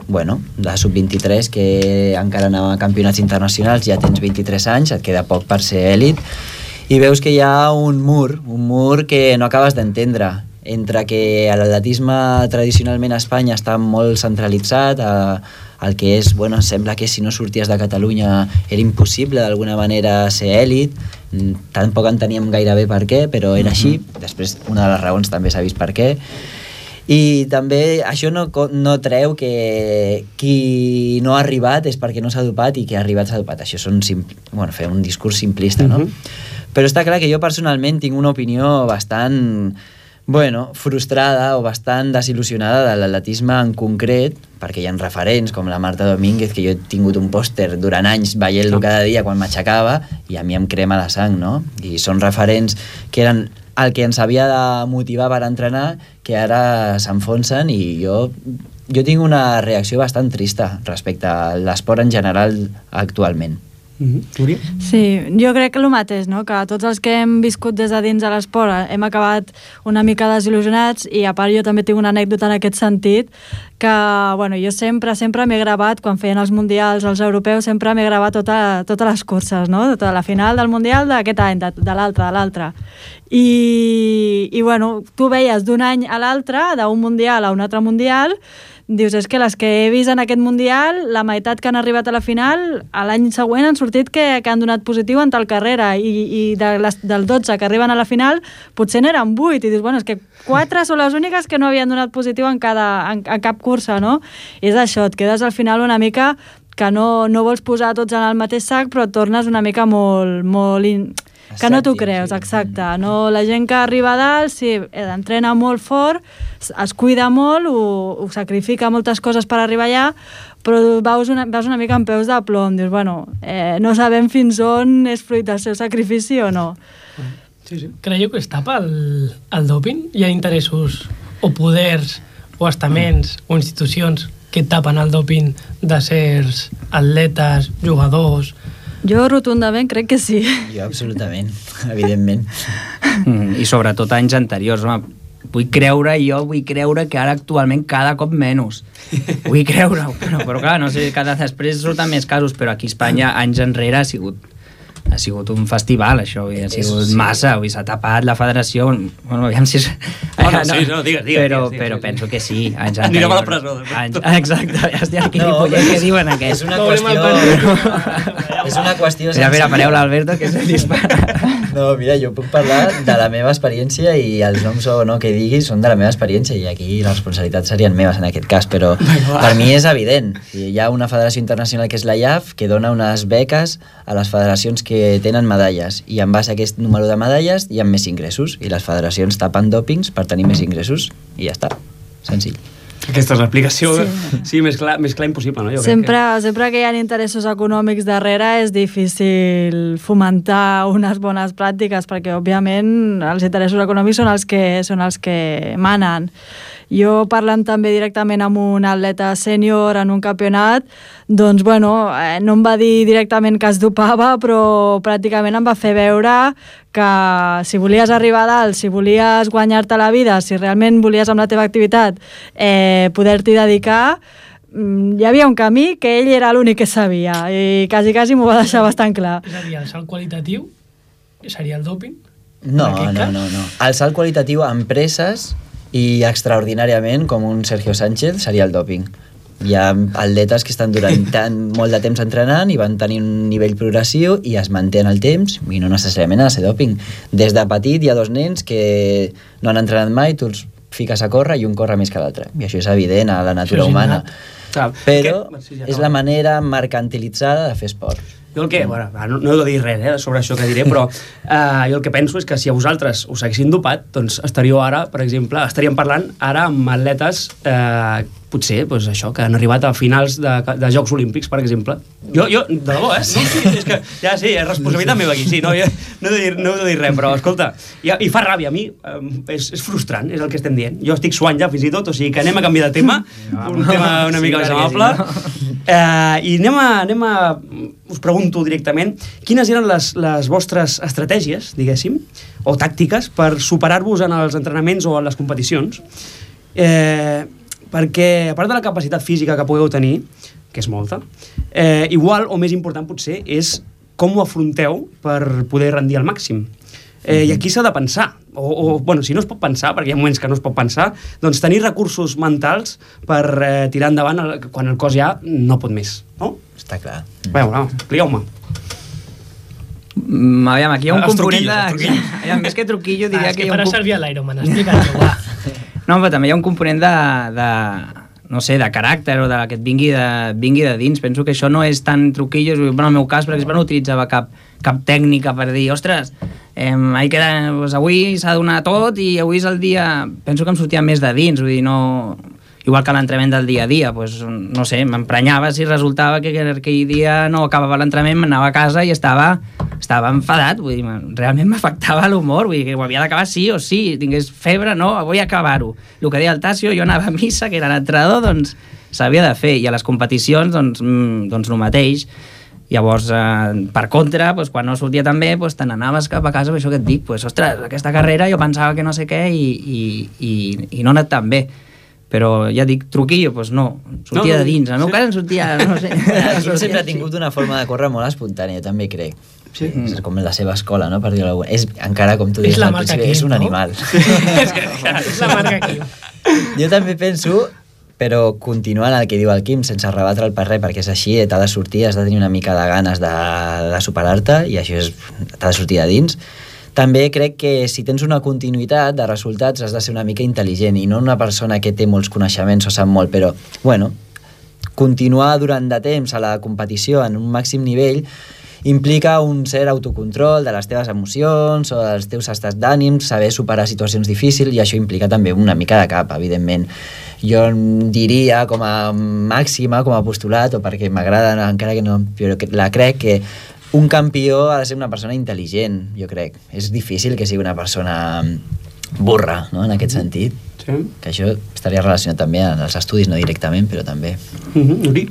Speaker 4: bueno, de sub vint-i-tres que encara anava a campionats internacionals, ja tens vint-i-tres anys, et queda poc per ser èlit, i veus que hi ha un mur, un mur que no acabes d'entendre, entre que l'atletisme tradicionalment a Espanya està molt centralitzat, a, el que és, bueno, sembla que si no sorties de Catalunya era impossible d'alguna manera ser èlit, tampoc enteníem gairebé per què, però era així. Després una de les raons també s'ha vist per què, i també això no, no treu que qui no ha arribat és perquè no s'ha dopat i qui ha arribat s'ha dopat. Això són simpl... bueno, fer un discurs simplista, no? Uh-huh. Però està clar que jo personalment tinc una opinió bastant, bueno, frustrada o bastant desil·lusionada de l'atletisme en concret, perquè hi ha referents com la Marta Domínguez, que jo he tingut un pòster durant anys veient-lo cada dia quan m'aixecava i a mi em crema la sang, no? I són referents que eren el que ens havia de motivar per entrenar, que ara s'enfonsen, i jo, jo tinc una reacció bastant trista respecte a l'esport en general actualment.
Speaker 1: Mm-hmm.
Speaker 3: Sí, jo crec que el mateix, no? Que tots els que hem viscut des de dins de l'esport hem acabat una mica desil·lusionats, i a part jo també tinc una anècdota en aquest sentit, que bueno, jo sempre sempre m'he gravat, quan feien els mundials, els europeus, sempre m'he gravat tota, totes les curses, no? Tota la final del mundial d'aquest any, de, de l'altre, de l'altre. I, i bueno, tu veies d'un any a l'altre, d'un mundial a un altre mundial, dius, és que les que he vist en aquest mundial, la meitat que han arribat a la final, a l'any següent han sortit que, que han donat positiu en tal carrera, i, i de les, del dotze que arriben a la final potser n'eren vuit, i dius, bueno, és que quatre són les úniques que no havien donat positiu en, cada, en, en cap cursa, no? I és això, et quedes al final una mica que no, no vols posar tots en el mateix sac, però et tornes una mica molt... molt in... que no t'ho creus, exacte. No, la gent que arriba a dalt, sí, entrena molt fort, es cuida molt, ho, ho sacrifica moltes coses per arribar allà, però veus una, veus una mica amb peus de plom, dius, bueno, eh, no sabem fins on és fruit del seu sacrifici o no.
Speaker 2: Sí, sí. Creieu que es tapa el, el doping? Hi ha interessos o poders o estaments o institucions que tapen el doping de certs atletes, jugadors?
Speaker 3: Jo rotundament crec que sí.
Speaker 4: Jo absolutament, evidentment.
Speaker 5: Mm, I sobretot anys anteriors, home. Vull creure, jo vull creure que ara actualment cada cop menys. Vull creure, però, però clar, no sé, cada després surten més casos, però aquí a Espanya anys enrere ha sigut ha sigut un festival, això, ha sigut sí. massa, avui s'ha tapat la federació, bueno, aviam si és...
Speaker 1: No, no, sí, no, digues, digues.
Speaker 5: Però,
Speaker 1: digues,
Speaker 5: però
Speaker 1: digues.
Speaker 5: penso que sí, anys anteriors.
Speaker 1: Anirem a la presó.
Speaker 5: Anys, exacte, ja estic aquí,
Speaker 4: no,
Speaker 5: Ripollet, què diuen aquests?
Speaker 4: És una qüestió... és una qüestió...
Speaker 5: Mira, mira, pareu l'Alberto, que és el dispara.
Speaker 4: No, mira, jo puc parlar de la meva experiència, i els noms o no que diguis són de la meva experiència, i aquí les responsabilitats serien meves en aquest cas, però per mi és evident. Hi ha una federació internacional que és la I A F, que dona unes beques a les federacions que tenen medalles, i en base a aquest número de medalles hi ha més ingressos, i les federacions tapen dòpings per tenir més ingressos, i ja està, senzill.
Speaker 1: Aquesta és l'explicació, sí, sí més, clar, més clar impossible, no? Jo
Speaker 3: sempre,
Speaker 1: crec que...
Speaker 3: sempre que hi ha interessos econòmics darrere és difícil fomentar unes bones pràctiques, perquè òbviament els interessos econòmics són els que, són els que manen. Jo, parlant també directament amb un atleta sènior en un campionat, doncs, bueno, eh, no em va dir directament que es dopava, però pràcticament em va fer veure que si volies arribar a dalt, si volies guanyar-te la vida, si realment volies amb la teva activitat eh, poder-t'hi dedicar, hi havia un camí que ell era l'únic que sabia, i quasi, quasi m'ho va deixar bastant clar.
Speaker 2: És a dir, el salt qualitatiu seria el dòping?
Speaker 4: No, no, no, no. El salt qualitatiu a empreses i extraordinàriament, com un Sergio Sánchez, seria el dòping. Hi ha atletes que estan durant tant, molt de temps entrenant i van tenir un nivell progressiu i es manté en el temps, i no necessàriament ha de ser dòping. Des de petit hi ha dos nens que no han entrenat mai, tu els fiques a córrer i un corre més que l'altre. I això és evident a la natura humana. Però és la manera mercantilitzada de fer esport.
Speaker 1: Jo el que, bueno, no, no he de dir res eh, sobre això que diré, però eh, jo el que penso és que si a vosaltres us haguessin dopat, doncs estaríeu ara, per exemple, estaríem parlant ara amb atletes eh, potser, doncs això, que han arribat a finals de, de Jocs Olímpics, per exemple. Jo, jo de debò, eh? Sí, sí, és que, ja sí, és responsabilitat meva aquí, sí, no, jo, no, he de dir, no he de dir res, però, escolta, i, i fa ràbia a mi, eh, és, és frustrant, és el que estem dient. Jo estic suant ja, fins i tot, o sigui que anem a canviar de tema, un tema una mica més amable, eh, i anem a, anem a, us pregunto directament, quines eren les, les vostres estratègies, diguéssim, o tàctiques per superar-vos en els entrenaments o en les competicions? Eh... perquè, a part de la capacitat física que pugueu tenir, que és molta, eh, igual o més important potser és com ho afronteu per poder rendir al màxim. Eh, I aquí s'ha de pensar, o, o bueno, si no es pot pensar, perquè hi ha moments que no es pot pensar, doncs tenir recursos mentals per eh, tirar endavant el, quan el cos ja no pot més, no?
Speaker 4: Està clar.
Speaker 1: Veure, no, expliqueu-me.
Speaker 5: Mm, aviam, aquí hi ha un
Speaker 1: Els
Speaker 5: component de...
Speaker 1: truquillos,
Speaker 5: Aviam, més que truquillo, diria
Speaker 2: ah, és
Speaker 5: que
Speaker 2: que
Speaker 5: hi ha un...
Speaker 2: farà servir a l'Ironman, explica't-ho, va.
Speaker 5: No, però també hi ha un component de, de no sé, de caràcter o de que et vingui de, vingui de dins. Penso que això no és tan truquillo. Bueno, en el meu cas, per exemple, no utilitzava cap, cap tècnica per dir, ostres, eh, queda, pues, avui s'ha de donar tot i avui és el dia... Penso que em sortia més de dins, vull dir, no... Igual que l'entrenament del dia a dia, pues, no sé, m'emprenyava si resultava que aquell dia no acabava l'entrenament, m'anava a casa i estava, estava enfadat, vull dir, realment m'afectava l'humor, vull dir, que ho havia d'acabar sí o sí, tingués febre, no, vull acabar-ho. El que deia el Tasio, jo anava a missa, que era l'entrenador, doncs s'havia de fer, i a les competicions, doncs, mm, doncs el mateix. Llavors, eh, per contra, doncs, quan no sortia tan bé, doncs, te n'anaves cap a casa, per això que et dic, doncs, ostres, aquesta carrera jo pensava que no sé què i, i, i, i no ha anat tan bé. Però ja dic, truquillo, doncs no, sortia no, de dins. En el meu cas em sortia, no sé...
Speaker 4: Jo sempre he tingut una forma de córrer molt espontània, també crec.
Speaker 1: Sí.
Speaker 4: És com la seva escola, no? Per dir-ho alguna. És, encara, com tu dius, al principi, és un
Speaker 2: no?
Speaker 4: animal.
Speaker 2: és, que, és la marca aquí.
Speaker 4: Jo també penso, però continuant el que diu el Quim, sense rebatre el per res, perquè és així, t'ha de sortir, has de tenir una mica de ganes de, de superar-te, i això és, t'ha de sortir de dins. També crec que si tens una continuïtat de resultats has de ser una mica intel·ligent i no una persona que té molts coneixements o sap molt, però, bueno, continuar durant de temps a la competició en un màxim nivell implica un cert autocontrol de les teves emocions o dels teus estats d'ànim, saber superar situacions difícils, i això implica també una mica de cap, evidentment. Jo diria com a màxima, com a postulat, o perquè m'agrada, encara que no, però que la crec que un campió ha de ser una persona intel·ligent, jo crec. És difícil que sigui una persona burra, no?, en aquest sentit.
Speaker 1: Sí.
Speaker 4: Que això estaria relacionat també amb els estudis, no directament, però també.
Speaker 1: Mm-hmm. Uri?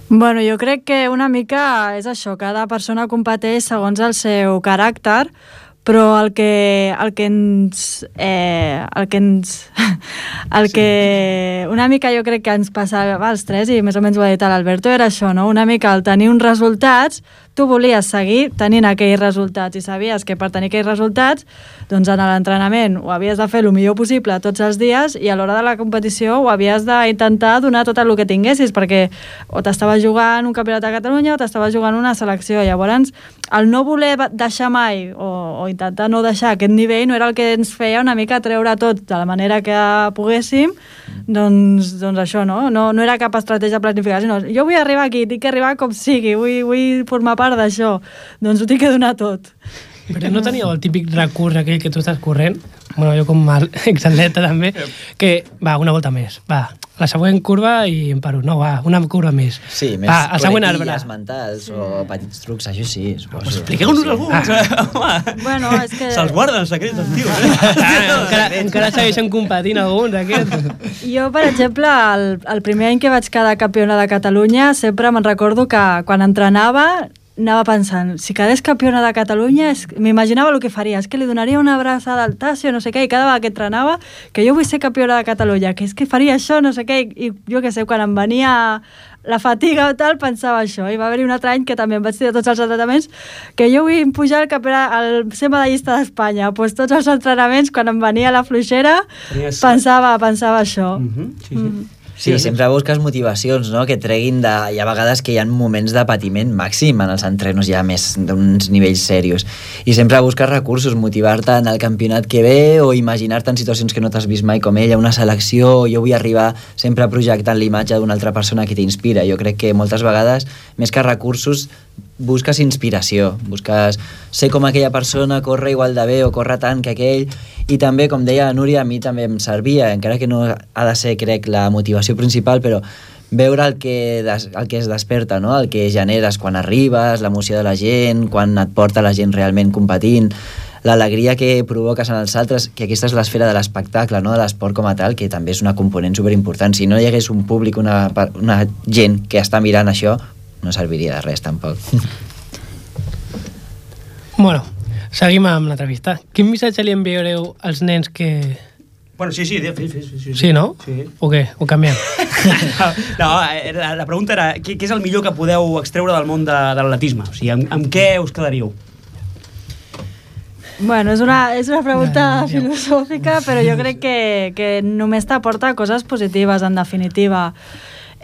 Speaker 3: Bueno, jo crec que una mica és això, cada persona competeix segons el seu caràcter, però el que, el que ens... Eh, el que ens... El sí. que una mica jo crec que ens passava als tres, i més o menys ho ha dit l'Alberto, era això, no? Una mica el tenir uns resultats, tu volies seguir tenint aquells resultats i sabies que per tenir aquells resultats, doncs en l'entrenament ho havies de fer el millor possible tots els dies, i a l'hora de la competició ho havies d'intentar donar tot el que tinguessis, perquè o t'estaves jugant un campionat de Catalunya o t'estaves jugant una selecció. Llavors, el no voler deixar mai o, o intentar no deixar aquest nivell no era el que ens feia una mica treure tot de la manera que poguéssim, doncs, doncs això, no? no? No era cap estratègia planificada, sinó jo vull arribar aquí, tinc que arribar com sigui, vull, vull formar part d'això, doncs ho tinc que donar tot.
Speaker 2: Però no teníeu el típic recurs aquell que tu estàs corrent, bueno, jo com a exatleta també, que va, una volta més, va, la següent curva i em paro, no, va, una curva més.
Speaker 4: Sí, més
Speaker 2: va, el següent arbre.
Speaker 4: mentals sí. o petits trucs, això sí, suposo.
Speaker 1: Pues expliqueu-nos alguns, ah.
Speaker 3: Bueno, és que...
Speaker 1: Se'ls guarden els secrets dels tios.
Speaker 2: Ah, encara, encara segueixen competint alguns, aquests.
Speaker 3: Jo, per exemple, el, el primer any que vaig quedar campiona de Catalunya, sempre me'n recordo que quan entrenava anava pensant, si quedés campiona de Catalunya, m'imaginava el que faria, és que li donaria una abraçada al Tasio, no sé què, i cada vegada que entrenava, que jo vull ser campiona de Catalunya, que és que faria això, no sé què, i, i jo què sé, quan em venia la fatiga o tal, pensava això. I va haver-hi un altre any que també em vaig tirar tots els entrenaments, que jo vull pujar al campionat, al ser medallista d'Espanya. Pues tots els entrenaments, quan em venia la fluixera, pensava, pensava això.
Speaker 1: Mm-hmm. Sí, sí. Mm-hmm.
Speaker 4: Sí, sempre busques motivacions, no?, que treguin de... Hi ha vegades que hi ha moments de patiment màxim en els entrenos ja més d'uns nivells serios. I sempre busques recursos, motivar-te en el campionat que ve o imaginar-te en situacions que no t'has vist mai com ella, una selecció, jo vull arribar sempre projectant l'imatge d'una altra persona que t'inspira. Jo crec que moltes vegades, més que recursos, busques inspiració, busques ser com aquella persona, córrer igual de bé o córrer tant que aquell, i també, com deia la Núria, a mi també em servia, encara que no ha de ser, crec, la motivació principal, però veure el que, des, el que es desperta, no? El que generes quan arribes, l'emoció de la gent, quan et porta la gent realment competint, l'alegria que provoques en els altres, que aquesta és l'esfera de l'espectacle, no? De l'esport com a tal, que també és una component superimportant. Si no hi hagués un públic, una, una gent que està mirant això, no serviria de res, tampoc.
Speaker 2: Bueno, seguim amb l'entrevista. Quin missatge li enviareu als nens que...
Speaker 1: Bueno, sí, sí, sí, sí, sí, sí.
Speaker 2: Sí, no?
Speaker 1: Sí.
Speaker 2: O què? Ho canviem?
Speaker 1: No, la, la pregunta era què, què és el millor que podeu extreure del món de, de l'atletisme? O sigui, amb, amb què us quedaríeu?
Speaker 3: Bueno, és una, és una pregunta ja, ja. filosòfica, però jo crec que, que només t'aporta coses positives, en definitiva.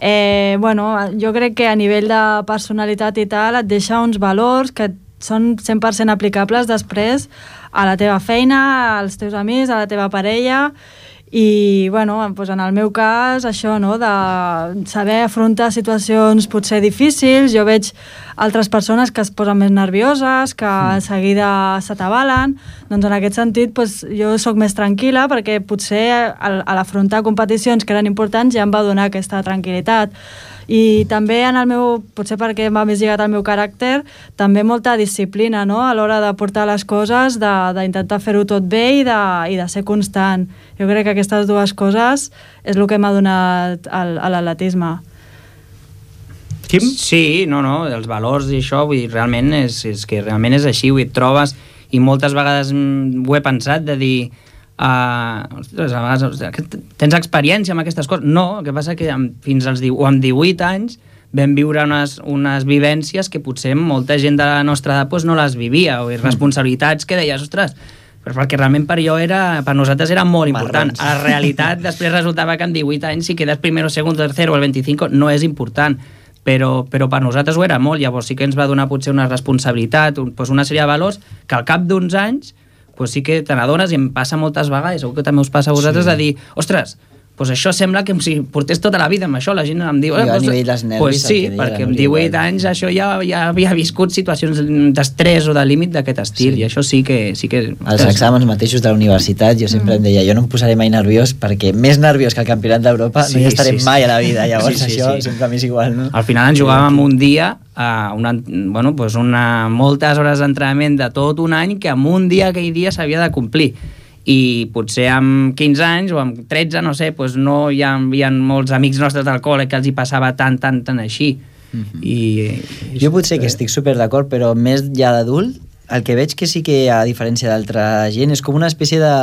Speaker 3: Eh, bueno, jo crec que a nivell de personalitat i tal et deixa uns valors que són cent per cent aplicables després a la teva feina, als teus amics, a la teva parella, i bueno, doncs en el meu cas això, no? De saber afrontar situacions potser difícils. Jo veig altres persones que es posen més nervioses, que a seguida s'atabalen, doncs en aquest sentit doncs, jo sóc més tranquil·la perquè potser a l'afrontar competicions que eren importants ja em va donar aquesta tranquil·litat. I també en el meu, potser perquè m'ha més lligat al meu caràcter, també molta disciplina, no? A l'hora de portar les coses, d'intentar fer-ho tot bé i de, i de ser constant. Jo crec que aquestes dues coses és el que m'ha donat el, a l'atletisme.
Speaker 1: Quim?
Speaker 5: Sí, no, no, els valors i això, vull dir, realment és, és que realment és així, vull dir, et trobes, i moltes vegades ho he pensat, de dir, Uh, ostres, a vegades, ostres, tens experiència amb aquestes coses? No, el que passa que amb, fins als o amb divuit anys vam viure unes, unes vivències que potser molta gent de la nostra edat pues, no les vivia, o responsabilitats que deies, ostres, però perquè realment per jo era, per nosaltres era molt important.
Speaker 4: Marrons.
Speaker 5: A la realitat després resultava que amb divuit anys si quedes primero, segundo, tercero o el vint-i-cinc no és important, però, però per nosaltres ho era molt. Llavors sí que ens va donar potser una responsabilitat, un, pues una sèrie de valors que al cap d'uns anys pues sí que te n'adones, i em passa moltes vegades, segur que també us passa a vosaltres, sí. De dir, ostres, pues això sembla que si portés tota la vida amb això, la gent em diu...
Speaker 4: Jo a nivell dels nervis...
Speaker 5: Pues sí, perquè amb divuit anys això ja, ja havia viscut situacions d'estrès o de límit d'aquest estil, sí. I això sí que... Sí que
Speaker 4: els exàmens mateixos de la universitat, jo sempre mm. em deia, jo no em posaré mai nerviós, perquè més nerviós que el campionat d'Europa sí, no hi estaré sí, mai sí. A la vida, llavors sí, sí, això sí. Sempre m'és igual, no?
Speaker 5: Al final ens jugàvem un dia... Uh, una, bueno, pues una, moltes hores d'entrenament de tot un any que en un dia aquell dia s'havia de complir, i potser amb quinze anys o amb tretze, no sé, pues no hi havia molts amics nostres del col·le que els hi passava tant, tant, tant així. Mm-hmm. I,
Speaker 4: jo potser que estic super d'acord, però més ja d'adult el que veig que sí que, a diferència d'altra gent, és com una espècie de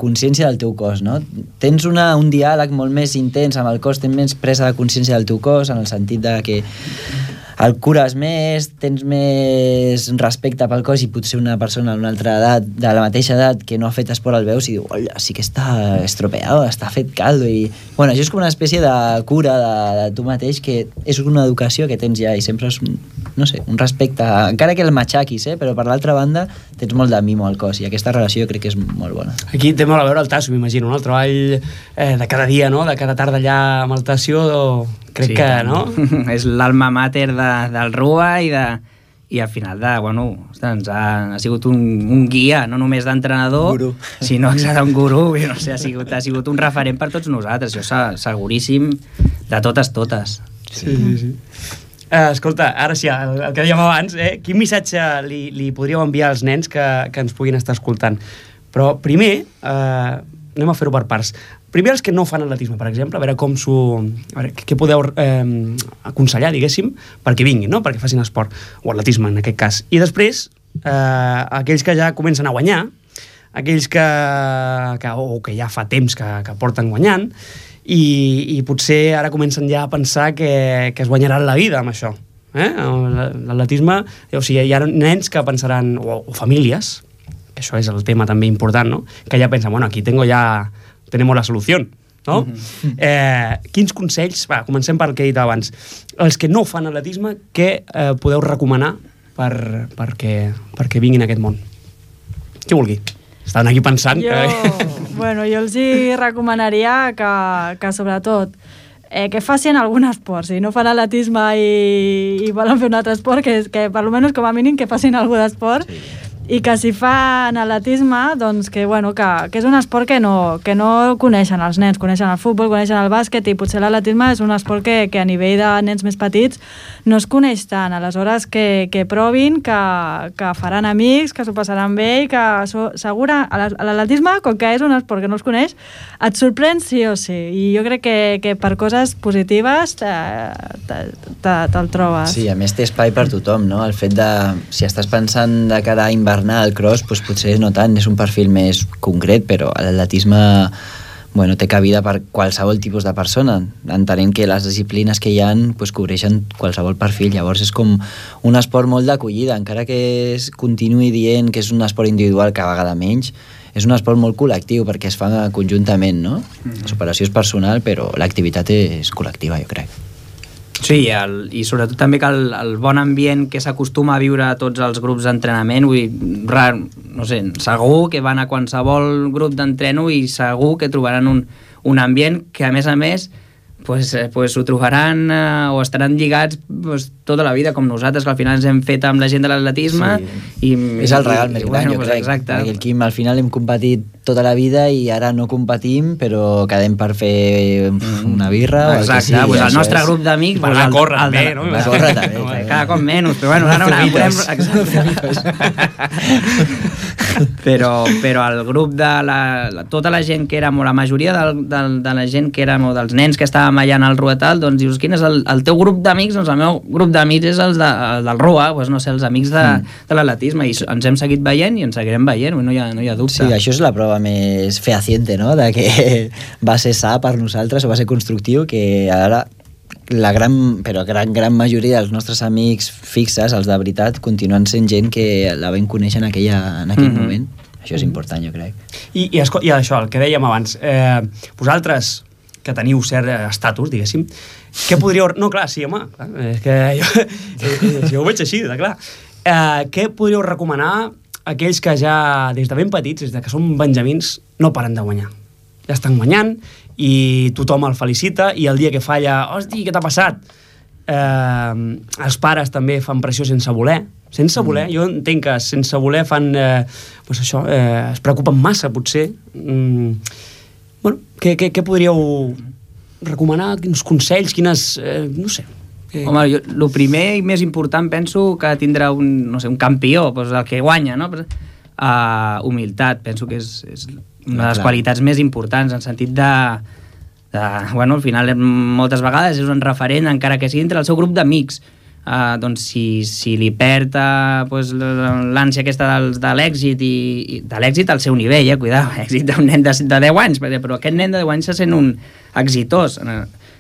Speaker 4: consciència del teu cos, no? Tens una, un diàleg molt més intens amb el cos, tens més presa de consciència del teu cos, en el sentit de que el cures més, tens més respecte pel cos, i potser una persona d'una altra edat, de la mateixa edat, que no ha fet esport, el veus i diu, hola, sí que està estropeado, està fet caldo, i bueno, això és com una espècie de cura de, de tu mateix, que és una educació que tens ja, i sempre és, no sé, un respecte, encara que el matxaquis, eh? Però per l'altra banda tens molt de mimo al cos, i aquesta relació crec que és molt bona.
Speaker 1: Aquí té molt a veure el Tasso, m'imagino, no? El treball eh, de cada dia, no? De cada tarda allà amb el Tasso, crec sí, que, no?
Speaker 5: És l'alma mater de, del R U A, i, de, i al final de, bueno, ostres, ha, ha sigut un, un guia, no només d'entrenador,
Speaker 4: gurú.
Speaker 5: Sinó que un gurú, no sé, ha sigut, ha sigut un referent per tots nosaltres, això seguríssim, de totes, totes.
Speaker 1: Sí, sí, sí. Uh, escolta, ara sí, el, el que dèiem abans, eh? Quin missatge li, li podríeu enviar als nens que, que ens puguin estar escoltant? Però primer, uh, anem a fer-ho per parts. Primer els que no fan atletisme, per exemple, a veure com s'ho... A veure, què podeu eh, aconsellar, diguéssim, perquè vinguin, no? Perquè facin esport, o atletisme en aquest cas. I després, eh, aquells que ja comencen a guanyar, aquells que, que, o que ja fa temps que, que porten guanyant, i, i potser ara comencen ja a pensar que, que es guanyaran la vida amb això. Eh? L'atletisme, o sigui, hi ha nens que pensaran, o, o famílies, que això és el tema també important, no? Que ja pensen, bueno, aquí tengo ya... tenemos la solució, no? Mm-hmm. eh, quins consells, va, comencem per el que he dit abans, els que no fan atletisme, què eh, podeu recomanar per, perquè, perquè vinguin a aquest món? Qui vulgui? Estaven aquí pensant.
Speaker 3: Jo,
Speaker 1: que...
Speaker 3: bueno, jo els hi recomanaria que, que sobretot eh, que facin algun esport. Si no fan atletisme i, i volen fer un altre esport, que, que per almenys com a mínim que facin algun esport. Sí. I que si fan atletisme, doncs que, bueno, que, que és un esport que no, que no coneixen els nens, coneixen el futbol, coneixen el bàsquet, i potser l'atletisme és un esport que, que a nivell de nens més petits no es coneix tant. Aleshores que, que provin, que, que faran amics, que s'ho passaran bé, i que so, segura, l'atletisme, com que és un esport que no es coneix, et sorprèn sí o sí, i jo crec que, que per coses positives te'l trobes.
Speaker 4: Sí, a més té espai per tothom, no? El fet de, si estàs pensant de cara a invernar al cross, doncs potser no tant, és un perfil més concret, però l'atletisme, bueno, té cabida per qualsevol tipus de persona, entenent que les disciplines que hi ha doncs, cobreixen qualsevol perfil. Llavors és com un esport molt d'acollida, encara que es continuï dient que és un esport individual cada vegada menys, és un esport molt col·lectiu perquè es fa conjuntament, no? Mm-hmm. La superació és personal, però l'activitat és col·lectiva, jo crec.
Speaker 5: Sí, el, i sobretot també que el, el bon ambient que s'acostuma a viure a tots els grups d'entrenament, vull dir, rar, no sé, segur que van a qualsevol grup d'entreno i segur que trobaran un, un ambient que, a més a més, pues, pues ho trobaran eh, o estaran lligats pues, tota la vida, com nosaltres, que al final ens hem fet amb la gent de l'atletisme. Sí. I,
Speaker 4: és el regal més gran, bueno, jo
Speaker 5: pues,
Speaker 4: crec.
Speaker 5: Exacte.
Speaker 4: Perquè el Quim al final hem competit tota la vida i ara no competim, però quedem per fer una birra o
Speaker 5: exacte,
Speaker 4: el que sigui.
Speaker 5: Pues el nostre és... grup d'amics...
Speaker 1: Per anar a córrer bé, no?
Speaker 4: Per anar a córrer també. també.
Speaker 5: Cada cop menys, però bueno, ara no podem... però, però el grup de la, la, tota la gent que érem, o la majoria del, del, de la gent que érem, o dels nens que estàvem allà en el Ruetal, doncs dius, quin és el, el teu grup d'amics? Doncs el meu grup d'amics és el, de, el del Rua, doncs no sé, els amics de, mm. de l'atletisme, i ens hem seguit veient i ens seguirem veient, no hi ha, no hi ha dubte.
Speaker 4: Sí, això és la prova més fehaciente, no?, de que va ser sa per nosaltres o va ser constructiu, que ara la gran, però gran, gran majoria dels nostres amics fixes, els de veritat, continuen sent gent que la vam conèixer en, aquella, en aquell mm-hmm. moment. Això és important, jo crec.
Speaker 1: I, i, I això, el que dèiem abans, eh, vosaltres, que teniu cert estatus, diguéssim, què podríeu... No, clar, sí, home, clar, és que jo, jo ho veig així, de clar. Eh, què podríeu recomanar a aquells que ja, des de ben petits, des de que són benjamins, no paren de guanyar? Ja estan guanyant i tothom el felicita, i el dia que falla, hosti, què t'ha passat? Eh, els pares també fan pressió sense voler, sense voler, mm. jo entenc que sense voler fan, eh, doncs això, eh, es preocupen massa, potser. Mm, bueno, què, què, què podríeu recomanar? Quins consells, quines... Eh, no sé. Que...
Speaker 5: Home, jo, el primer i més important penso que tindrà un, no sé, un campió, doncs el que guanya, no? Uh, humilitat, penso que és, és una de les qualitats més importants, en sentit de... de bueno, al final moltes vegades és un referent, encara que sigui entre el seu grup d'amics. Uh, doncs si, si li perd uh, pues, l'ànsia aquesta del, de l'èxit i, i de l'èxit al seu nivell, eh? Cuidao, èxit d'un nen de, de deu anys, però aquest nen de deu anys se sent un exitós.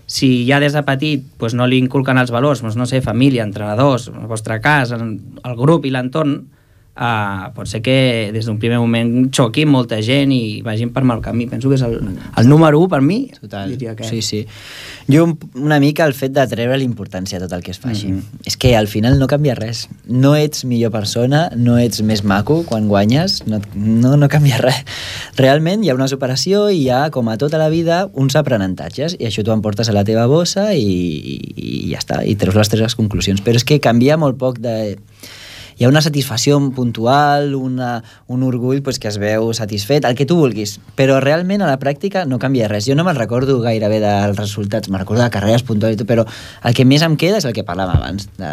Speaker 5: Si ja des de petit pues, no li inculquen els valors, doncs, no sé, família, entrenadors, en el vostre cas, el, el grup i l'entorn, Uh, pot ser que des d'un primer moment xoquin molta gent i vagin per mal camí. Penso que és el, el número u per mi.
Speaker 4: Total, que... sí, sí. Jo una mica el fet de treure l'importància a tot el que es faci. Mm-hmm. És que al final no canvia res. No ets millor persona, no ets més maco quan guanyes, no, no, no canvia res. Realment hi ha una superació i hi ha, com a tota la vida, uns aprenentatges, i això t'ho emportes a la teva bossa i, i, i ja està, i treus les tres conclusions. Però és que canvia molt poc de... Hi ha una satisfacció puntual, una, un orgull pues, que es veu satisfet, el que tu vulguis, però realment a la pràctica no canvia res. Jo no me'n recordo gairebé dels resultats, me'n recordo de carreres puntuals i tot, però el que més em queda és el que parlàvem abans, de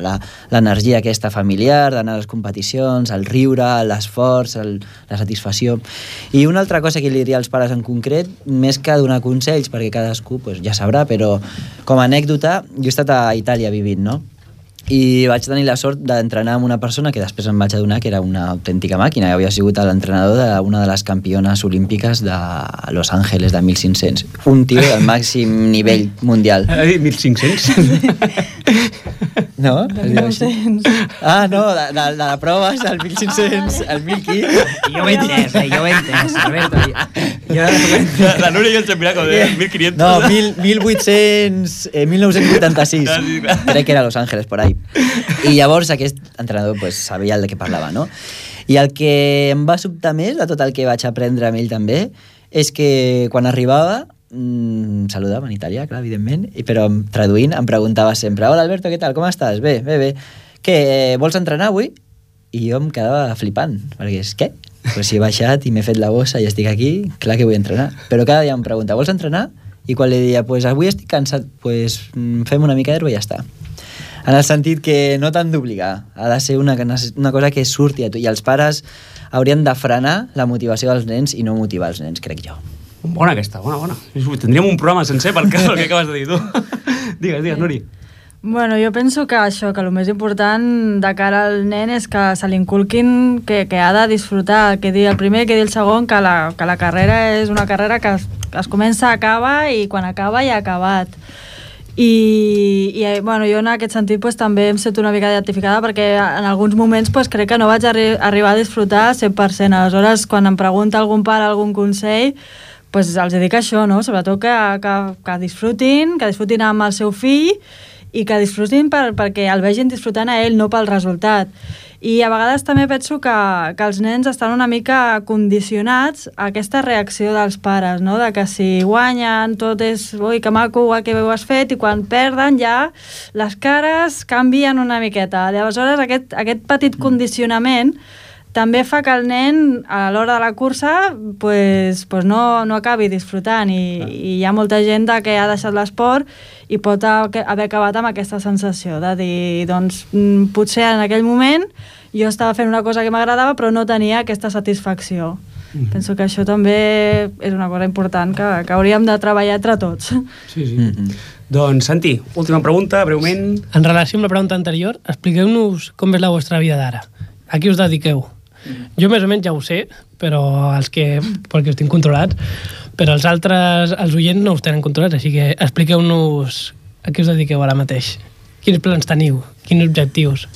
Speaker 4: l'energia aquesta familiar, d'anar a les competicions, el riure, l'esforç, el, la satisfacció. I una altra cosa que li diria als pares en concret, més que donar consells, perquè cadascú pues, ja sabrà, però com a anècdota, jo he estat a Itàlia vivint, no? I vaig tenir la sort d'entrenar amb una persona que després em vaig adonar que era una autèntica màquina, i havia sigut l'entrenador d'una de les campiones olímpiques de Los Angeles de mil cinc-cents. Un tio del màxim nivell mundial.
Speaker 1: mil cinc-cents?
Speaker 4: No? Es diu així? Ah, no, de, de, de la prova és el mil cinc-cents, el mil quinze.
Speaker 5: Jo ho he entès, eh? Jo ho he entès, Alberto. Jo...
Speaker 1: La, la Núria i el Xampirà, com deia, mil quinientos.
Speaker 4: No, mil vuit-cents, eh, mil nou-cents vuitanta-sis. Crec que era Los Angeles, por ahí. I llavors aquest entrenador pues, sabia el de què parlava, no? I el que em va sobtar més de tot el que vaig aprendre amb ell també és que quan arribava mm, saludava en italià, clar, evidentment, i, però traduint em preguntava sempre: hola Alberto, què tal, com estàs? Bé, bé, bé. Què, vols entrenar avui? I jo em quedava flipant, perquè és, què? Pues si he baixat i m'he fet la bossa i estic aquí, clar que vull entrenar. Però cada dia em pregunta: vols entrenar? I quan li deia, pues avui estic cansat, pues fem una mica d'herba i ja està. En el sentit que no t'han d'obligar, ha de ser una, una cosa que surti a tu, i els pares haurien de frenar la motivació dels nens i no motivar els nens, crec jo.
Speaker 1: Bona aquesta, bona, bona. Tindríem un programa sencer per el que acabes de dir tu. Digues, digues, Nuri.
Speaker 3: Bueno, jo penso que això, que el més important de cara al nen és que se li inculquin que, que ha de disfrutar, que dir el primer, que dir el segon, que la, que la carrera és una carrera que es, que es comença, acaba, i quan acaba ja ha acabat. I, i bueno, jo en aquest sentit pues, també em sento una mica identificada, perquè en alguns moments pues, crec que no vaig arri arribar a disfrutar cent per cent. Aleshores, quan em pregunta algun pare algun consell, pues, els dic això, no? Sobretot que, que, que disfrutin, que disfrutin amb el seu fill, i que disfrutin per, perquè el vegin disfrutant a ell, no pel resultat. I a vegades també penso que, que els nens estan una mica condicionats a aquesta reacció dels pares, no? De que si guanyen tot és ui, que maco, ui, que bé ho has fet, i quan perden ja les cares canvien una miqueta. Aleshores aquest, aquest petit condicionament també fa que el nen a l'hora de la cursa pues, pues no, no acabi disfrutant, i, i hi ha molta gent que ha deixat l'esport i pot haver acabat amb aquesta sensació de dir, doncs, potser en aquell moment jo estava fent una cosa que m'agradava però no tenia aquesta satisfacció. Mm-hmm. Penso que això també és una cosa important que, que hauríem de treballar entre tots.
Speaker 1: Sí, sí. Mm-hmm. Doncs, Santi, última pregunta, breument.
Speaker 2: En relació amb la pregunta anterior, expliqueu-nos com és la vostra vida d'ara. A qui us dediqueu? Jo més o menys ja ho sé, però els que, perquè us tinc controlats, però els altres, els oients no us tenen controlats, així que expliqueu-nos a què us dediqueu ara mateix. Quins plans teniu? Quins objectius?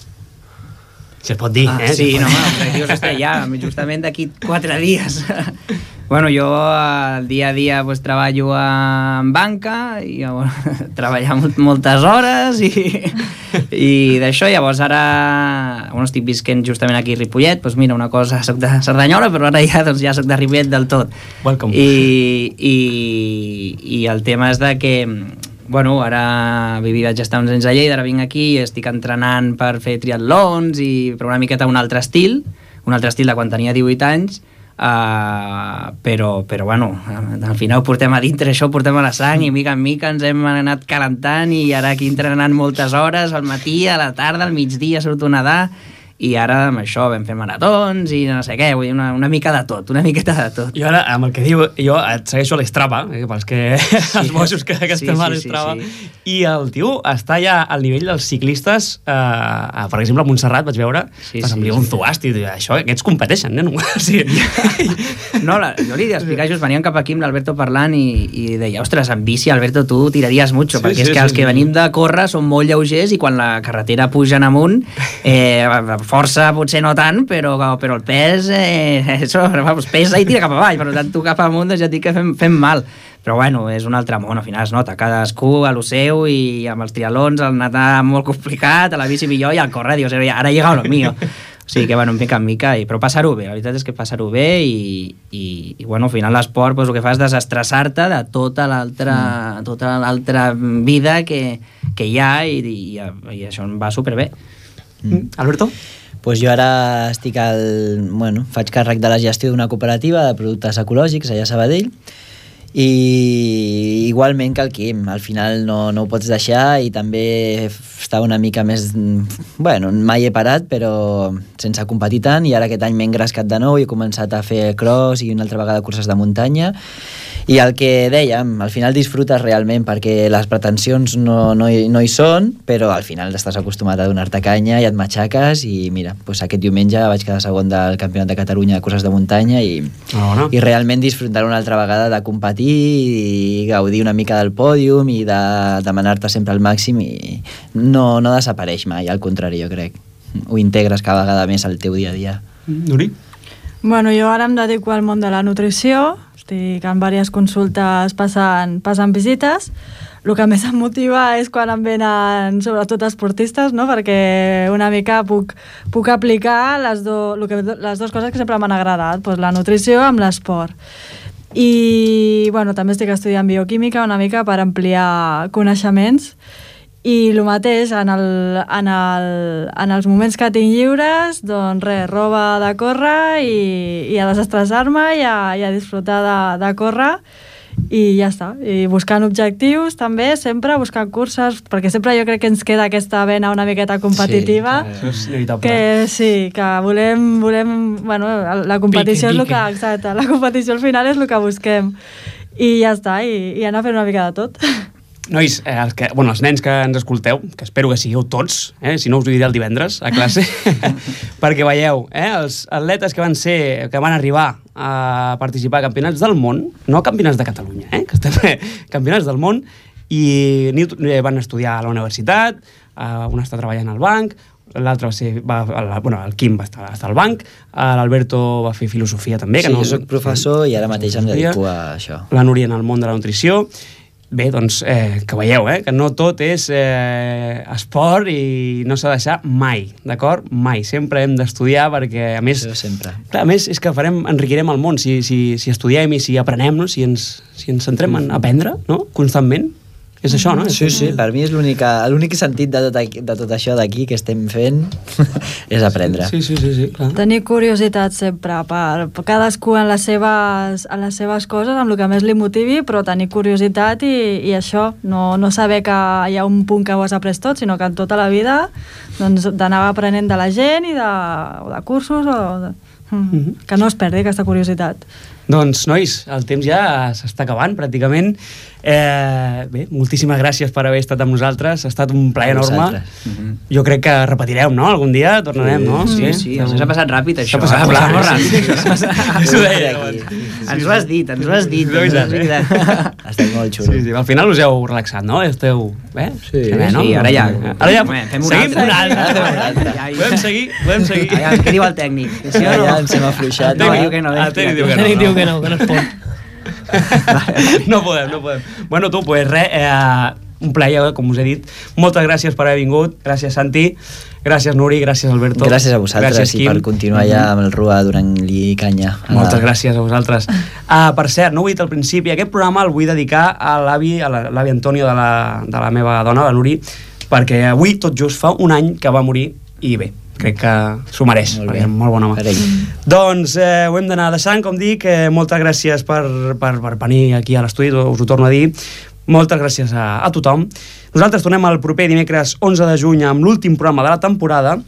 Speaker 1: Si es pot dir,
Speaker 5: ah,
Speaker 1: eh?
Speaker 5: Sí, no, l'objectiu és estar allà, justament d'aquí quatre dies. Bueno, jo el dia a dia pues, treballo en banca i bueno, treballar moltes hores i, i d'això, llavors ara bueno, estic visquent justament aquí a Ripollet, doncs mira, una cosa, soc de Cerdanyola, però ara ja, doncs, ja soc de Ripollet del tot.
Speaker 1: Welcome.
Speaker 5: I, i, i el tema és de que bueno, ara vaig estar uns anys a Lleida, ara vinc aquí i estic entrenant per fer triatlons, i, però una miqueta un altre estil, un altre estil de quan tenia divuit anys, Uh, però, però bueno, al final ho portem a dintre, això ho portem a la sang, i mica en mica ens hem anat calentant, i ara aquí entrenant moltes hores al matí, a la tarda, al migdia surto a nedar, i ara amb això vam fer maratons i no sé què, vull dir, una, una mica de tot, una miqueta de tot.
Speaker 1: Jo ara, amb el que diu, jo et segueixo a l'Strava, eh, pels que sí, els bojos que, que estem sí, sí, a l'Strava, sí, sí. I el tio està ja al nivell dels ciclistes, eh, per exemple, a Montserrat vaig veure, sí, sí, em diu un zuast, i això, aquests competeixen, nen? Sí.
Speaker 5: No, la, jo li explicar, just veníem cap aquí amb l'Alberto parlant i, i deia, ostres, en bici, Alberto, tu tiraries mucho, sí, perquè sí, és que sí, els que sí. venim de córrer són molt lleugers, i quan la carretera puja en amunt, eh, força potser no tant, però, però el pes eh, això, vamos, pesa i tira cap avall, per tant tu cap amunt doncs ja et dic que fem, fem mal, però bueno, és un altre món, al final es nota, cadascú a lo seu, i amb els triatlons el nedar molt complicat, a la bici millor, i al córrer dius, ara ha llegat lo mío. O sigui que, bueno, mica en mica, i, però passar-ho bé, la veritat és que passar-ho bé, i, i, i bueno, al final l'esport pues, el que fa és desestressar-te de tota l'altra mm. tota l'altra vida que, que hi ha, i, i, i això em va superbé.
Speaker 1: Mm. Alberto?
Speaker 4: Pues jo ara estic al... Bueno, faig càrrec de la gestió d'una cooperativa de productes ecològics allà a Sabadell, i igualment que el Quim, al final no, no ho pots deixar, i també està una mica més... Bueno, mai he parat, però sense competir tant, i ara aquest any m'he engrescat de nou i he començat a fer cross i una altra vegada curses de muntanya, i el que dèiem, al final disfrutes realment, perquè les pretensions no, no, hi, no hi són, però al final estàs acostumat a donar-te canya i et matxaques, i mira, pues aquest diumenge vaig quedar segon del Campionat de Catalunya de curses de muntanya, i, oh, no? i realment disfrutar una altra vegada de competir i gaudir una mica del pòdium i de demanar-te sempre al màxim, i no, no desapareix mai, al contrari, jo crec. Ho integres cada vegada més al teu dia a dia.
Speaker 1: Nuri?
Speaker 3: Bueno, jo ara em dedico al món de la nutrició, estic en diverses consultes passant, passant visites. El que més em motiva és quan em venen, sobretot esportistes, no? Perquè una mica puc, puc aplicar les, do, que, les dues coses que sempre m'han agradat, doncs la nutrició amb l'esport. i bueno, també estic estudiant bioquímica una mica per ampliar coneixements i el mateix, en, el, en, el, en els moments que tinc lliures, doncs res, roba de córrer i, i a desestressar-me i a, i a disfrutar de, de córrer i ja està. I buscant objectius també, sempre buscant curses, perquè sempre jo crec que ens queda aquesta vena una miqueta competitiva.
Speaker 1: Sí, és inevitable.
Speaker 3: Que sí, que volem, volem bueno, la competició
Speaker 2: Pique,
Speaker 3: és el que, exacte, la competició al final és el que busquem. I ja està, i, i anar fent una mica de tot.
Speaker 1: Nois, eh, els, que, bueno, els nens que ens escolteu, que espero que sigueu tots, eh, si no us ho diré el divendres a classe, perquè veieu, eh, els atletes que van ser, que van arribar a participar a campionats del món, no campionats de Catalunya, eh, que estem eh, campionats del món, i ni, van estudiar a la universitat, eh, un està treballant al banc, l'altre va ser, va, el, bueno, el Quim va estar, estar al banc, l'Alberto va fer filosofia també.
Speaker 4: Sí,
Speaker 1: que no,
Speaker 4: jo soc professor i ara mateix em dedico a això.
Speaker 1: La Núria en el món de la nutrició. Bé, doncs, eh, que veieu, eh, que no tot és eh, esport i no s'ha de deixar mai, d'acord? Mai. Sempre hem d'estudiar perquè, a més...
Speaker 4: Això sempre.
Speaker 1: Clar, a més, és que farem, enriquirem el món si, si, si estudiem i si aprenem, no? si, ens, si ens centrem en aprendre, no? Constantment. És això, no?
Speaker 4: Sí, sí, per mi és l'únic sentit de tot, aquí, de tot això d'aquí que estem fent és aprendre.
Speaker 1: Sí, sí, sí, sí, clar.
Speaker 3: Tenir curiositat sempre per, per cadascú en les, seves, en les seves coses, amb el que més li motivi, però tenir curiositat i, i això, no, no saber que hi ha un punt que ho has après tot, sinó que en tota la vida doncs, d'anar aprenent de la gent i de, o de cursos o de, mm-hmm. que no es perdi aquesta curiositat.
Speaker 1: Doncs, nois, el temps ja s'està acabant, pràcticament. Eh, bé, moltíssimes gràcies per haver estat amb nosaltres. Ha estat un plaer enorme. Mm-hmm. Jo crec que repetireu, no? Algun dia tornarem, no?
Speaker 5: Sí, sí, ens ha passat ràpid, això.
Speaker 1: S'ha passat
Speaker 5: eh?
Speaker 1: molt
Speaker 5: ràpid.
Speaker 1: Això ho deia.
Speaker 5: Ens ho has dit, ens ho has dit.
Speaker 4: Ha estat molt xulo.
Speaker 1: Sí, sí, al final us heu relaxat, no? Esteu... Eh?
Speaker 4: Sí,
Speaker 1: bé, no?
Speaker 5: sí, ara ja.
Speaker 1: Ara ja
Speaker 5: fem un
Speaker 1: seguim
Speaker 5: altre.
Speaker 1: un altre.
Speaker 5: Un altre.
Speaker 1: Podem seguir, podem seguir.
Speaker 5: Aviam, què diu el tècnic?
Speaker 4: Sí, ja, ja ens hem afluixat.
Speaker 5: No, diu que no.
Speaker 1: El tècnic diu que
Speaker 2: El
Speaker 1: no.
Speaker 2: tècnic diu que no, que no es pot.
Speaker 1: No podem, no podem. Bueno, tu, pues res, eh, un plaer, com us he dit. Moltes gràcies per haver vingut. Gràcies, Santi. Gràcies, Nuri. Gràcies, Alberto.
Speaker 4: Gràcies a vosaltres gràcies, i per continuar ja amb el Rua donant-li canya.
Speaker 1: Moltes la... gràcies a vosaltres. Uh, per cert, no ho he dit al principi, aquest programa el vull dedicar a l'avi, a l'avi Antonio de la, de la meva dona, la Nuri, perquè avui tot just fa un any que va morir i bé, crec que s'ho mereix, molt, perquè és molt bon home. Doncs eh, ho hem d'anar deixant, com dic, eh, moltes gràcies per, per, per venir aquí a l'estudi, us ho torno a dir, moltes gràcies a, a tothom. Nosaltres tornem el proper dimecres onze de juny amb l'últim programa de la temporada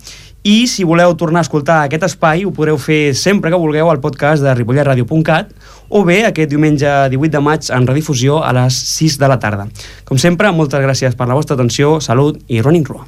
Speaker 1: i si voleu tornar a escoltar aquest espai ho podreu fer sempre que vulgueu al podcast de ripollet ràdio punt cat o bé aquest diumenge divuit de maig en redifusió a les sis de la tarda. Com sempre, moltes gràcies per la vostra atenció, salut i Running Rua.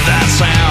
Speaker 6: that sound.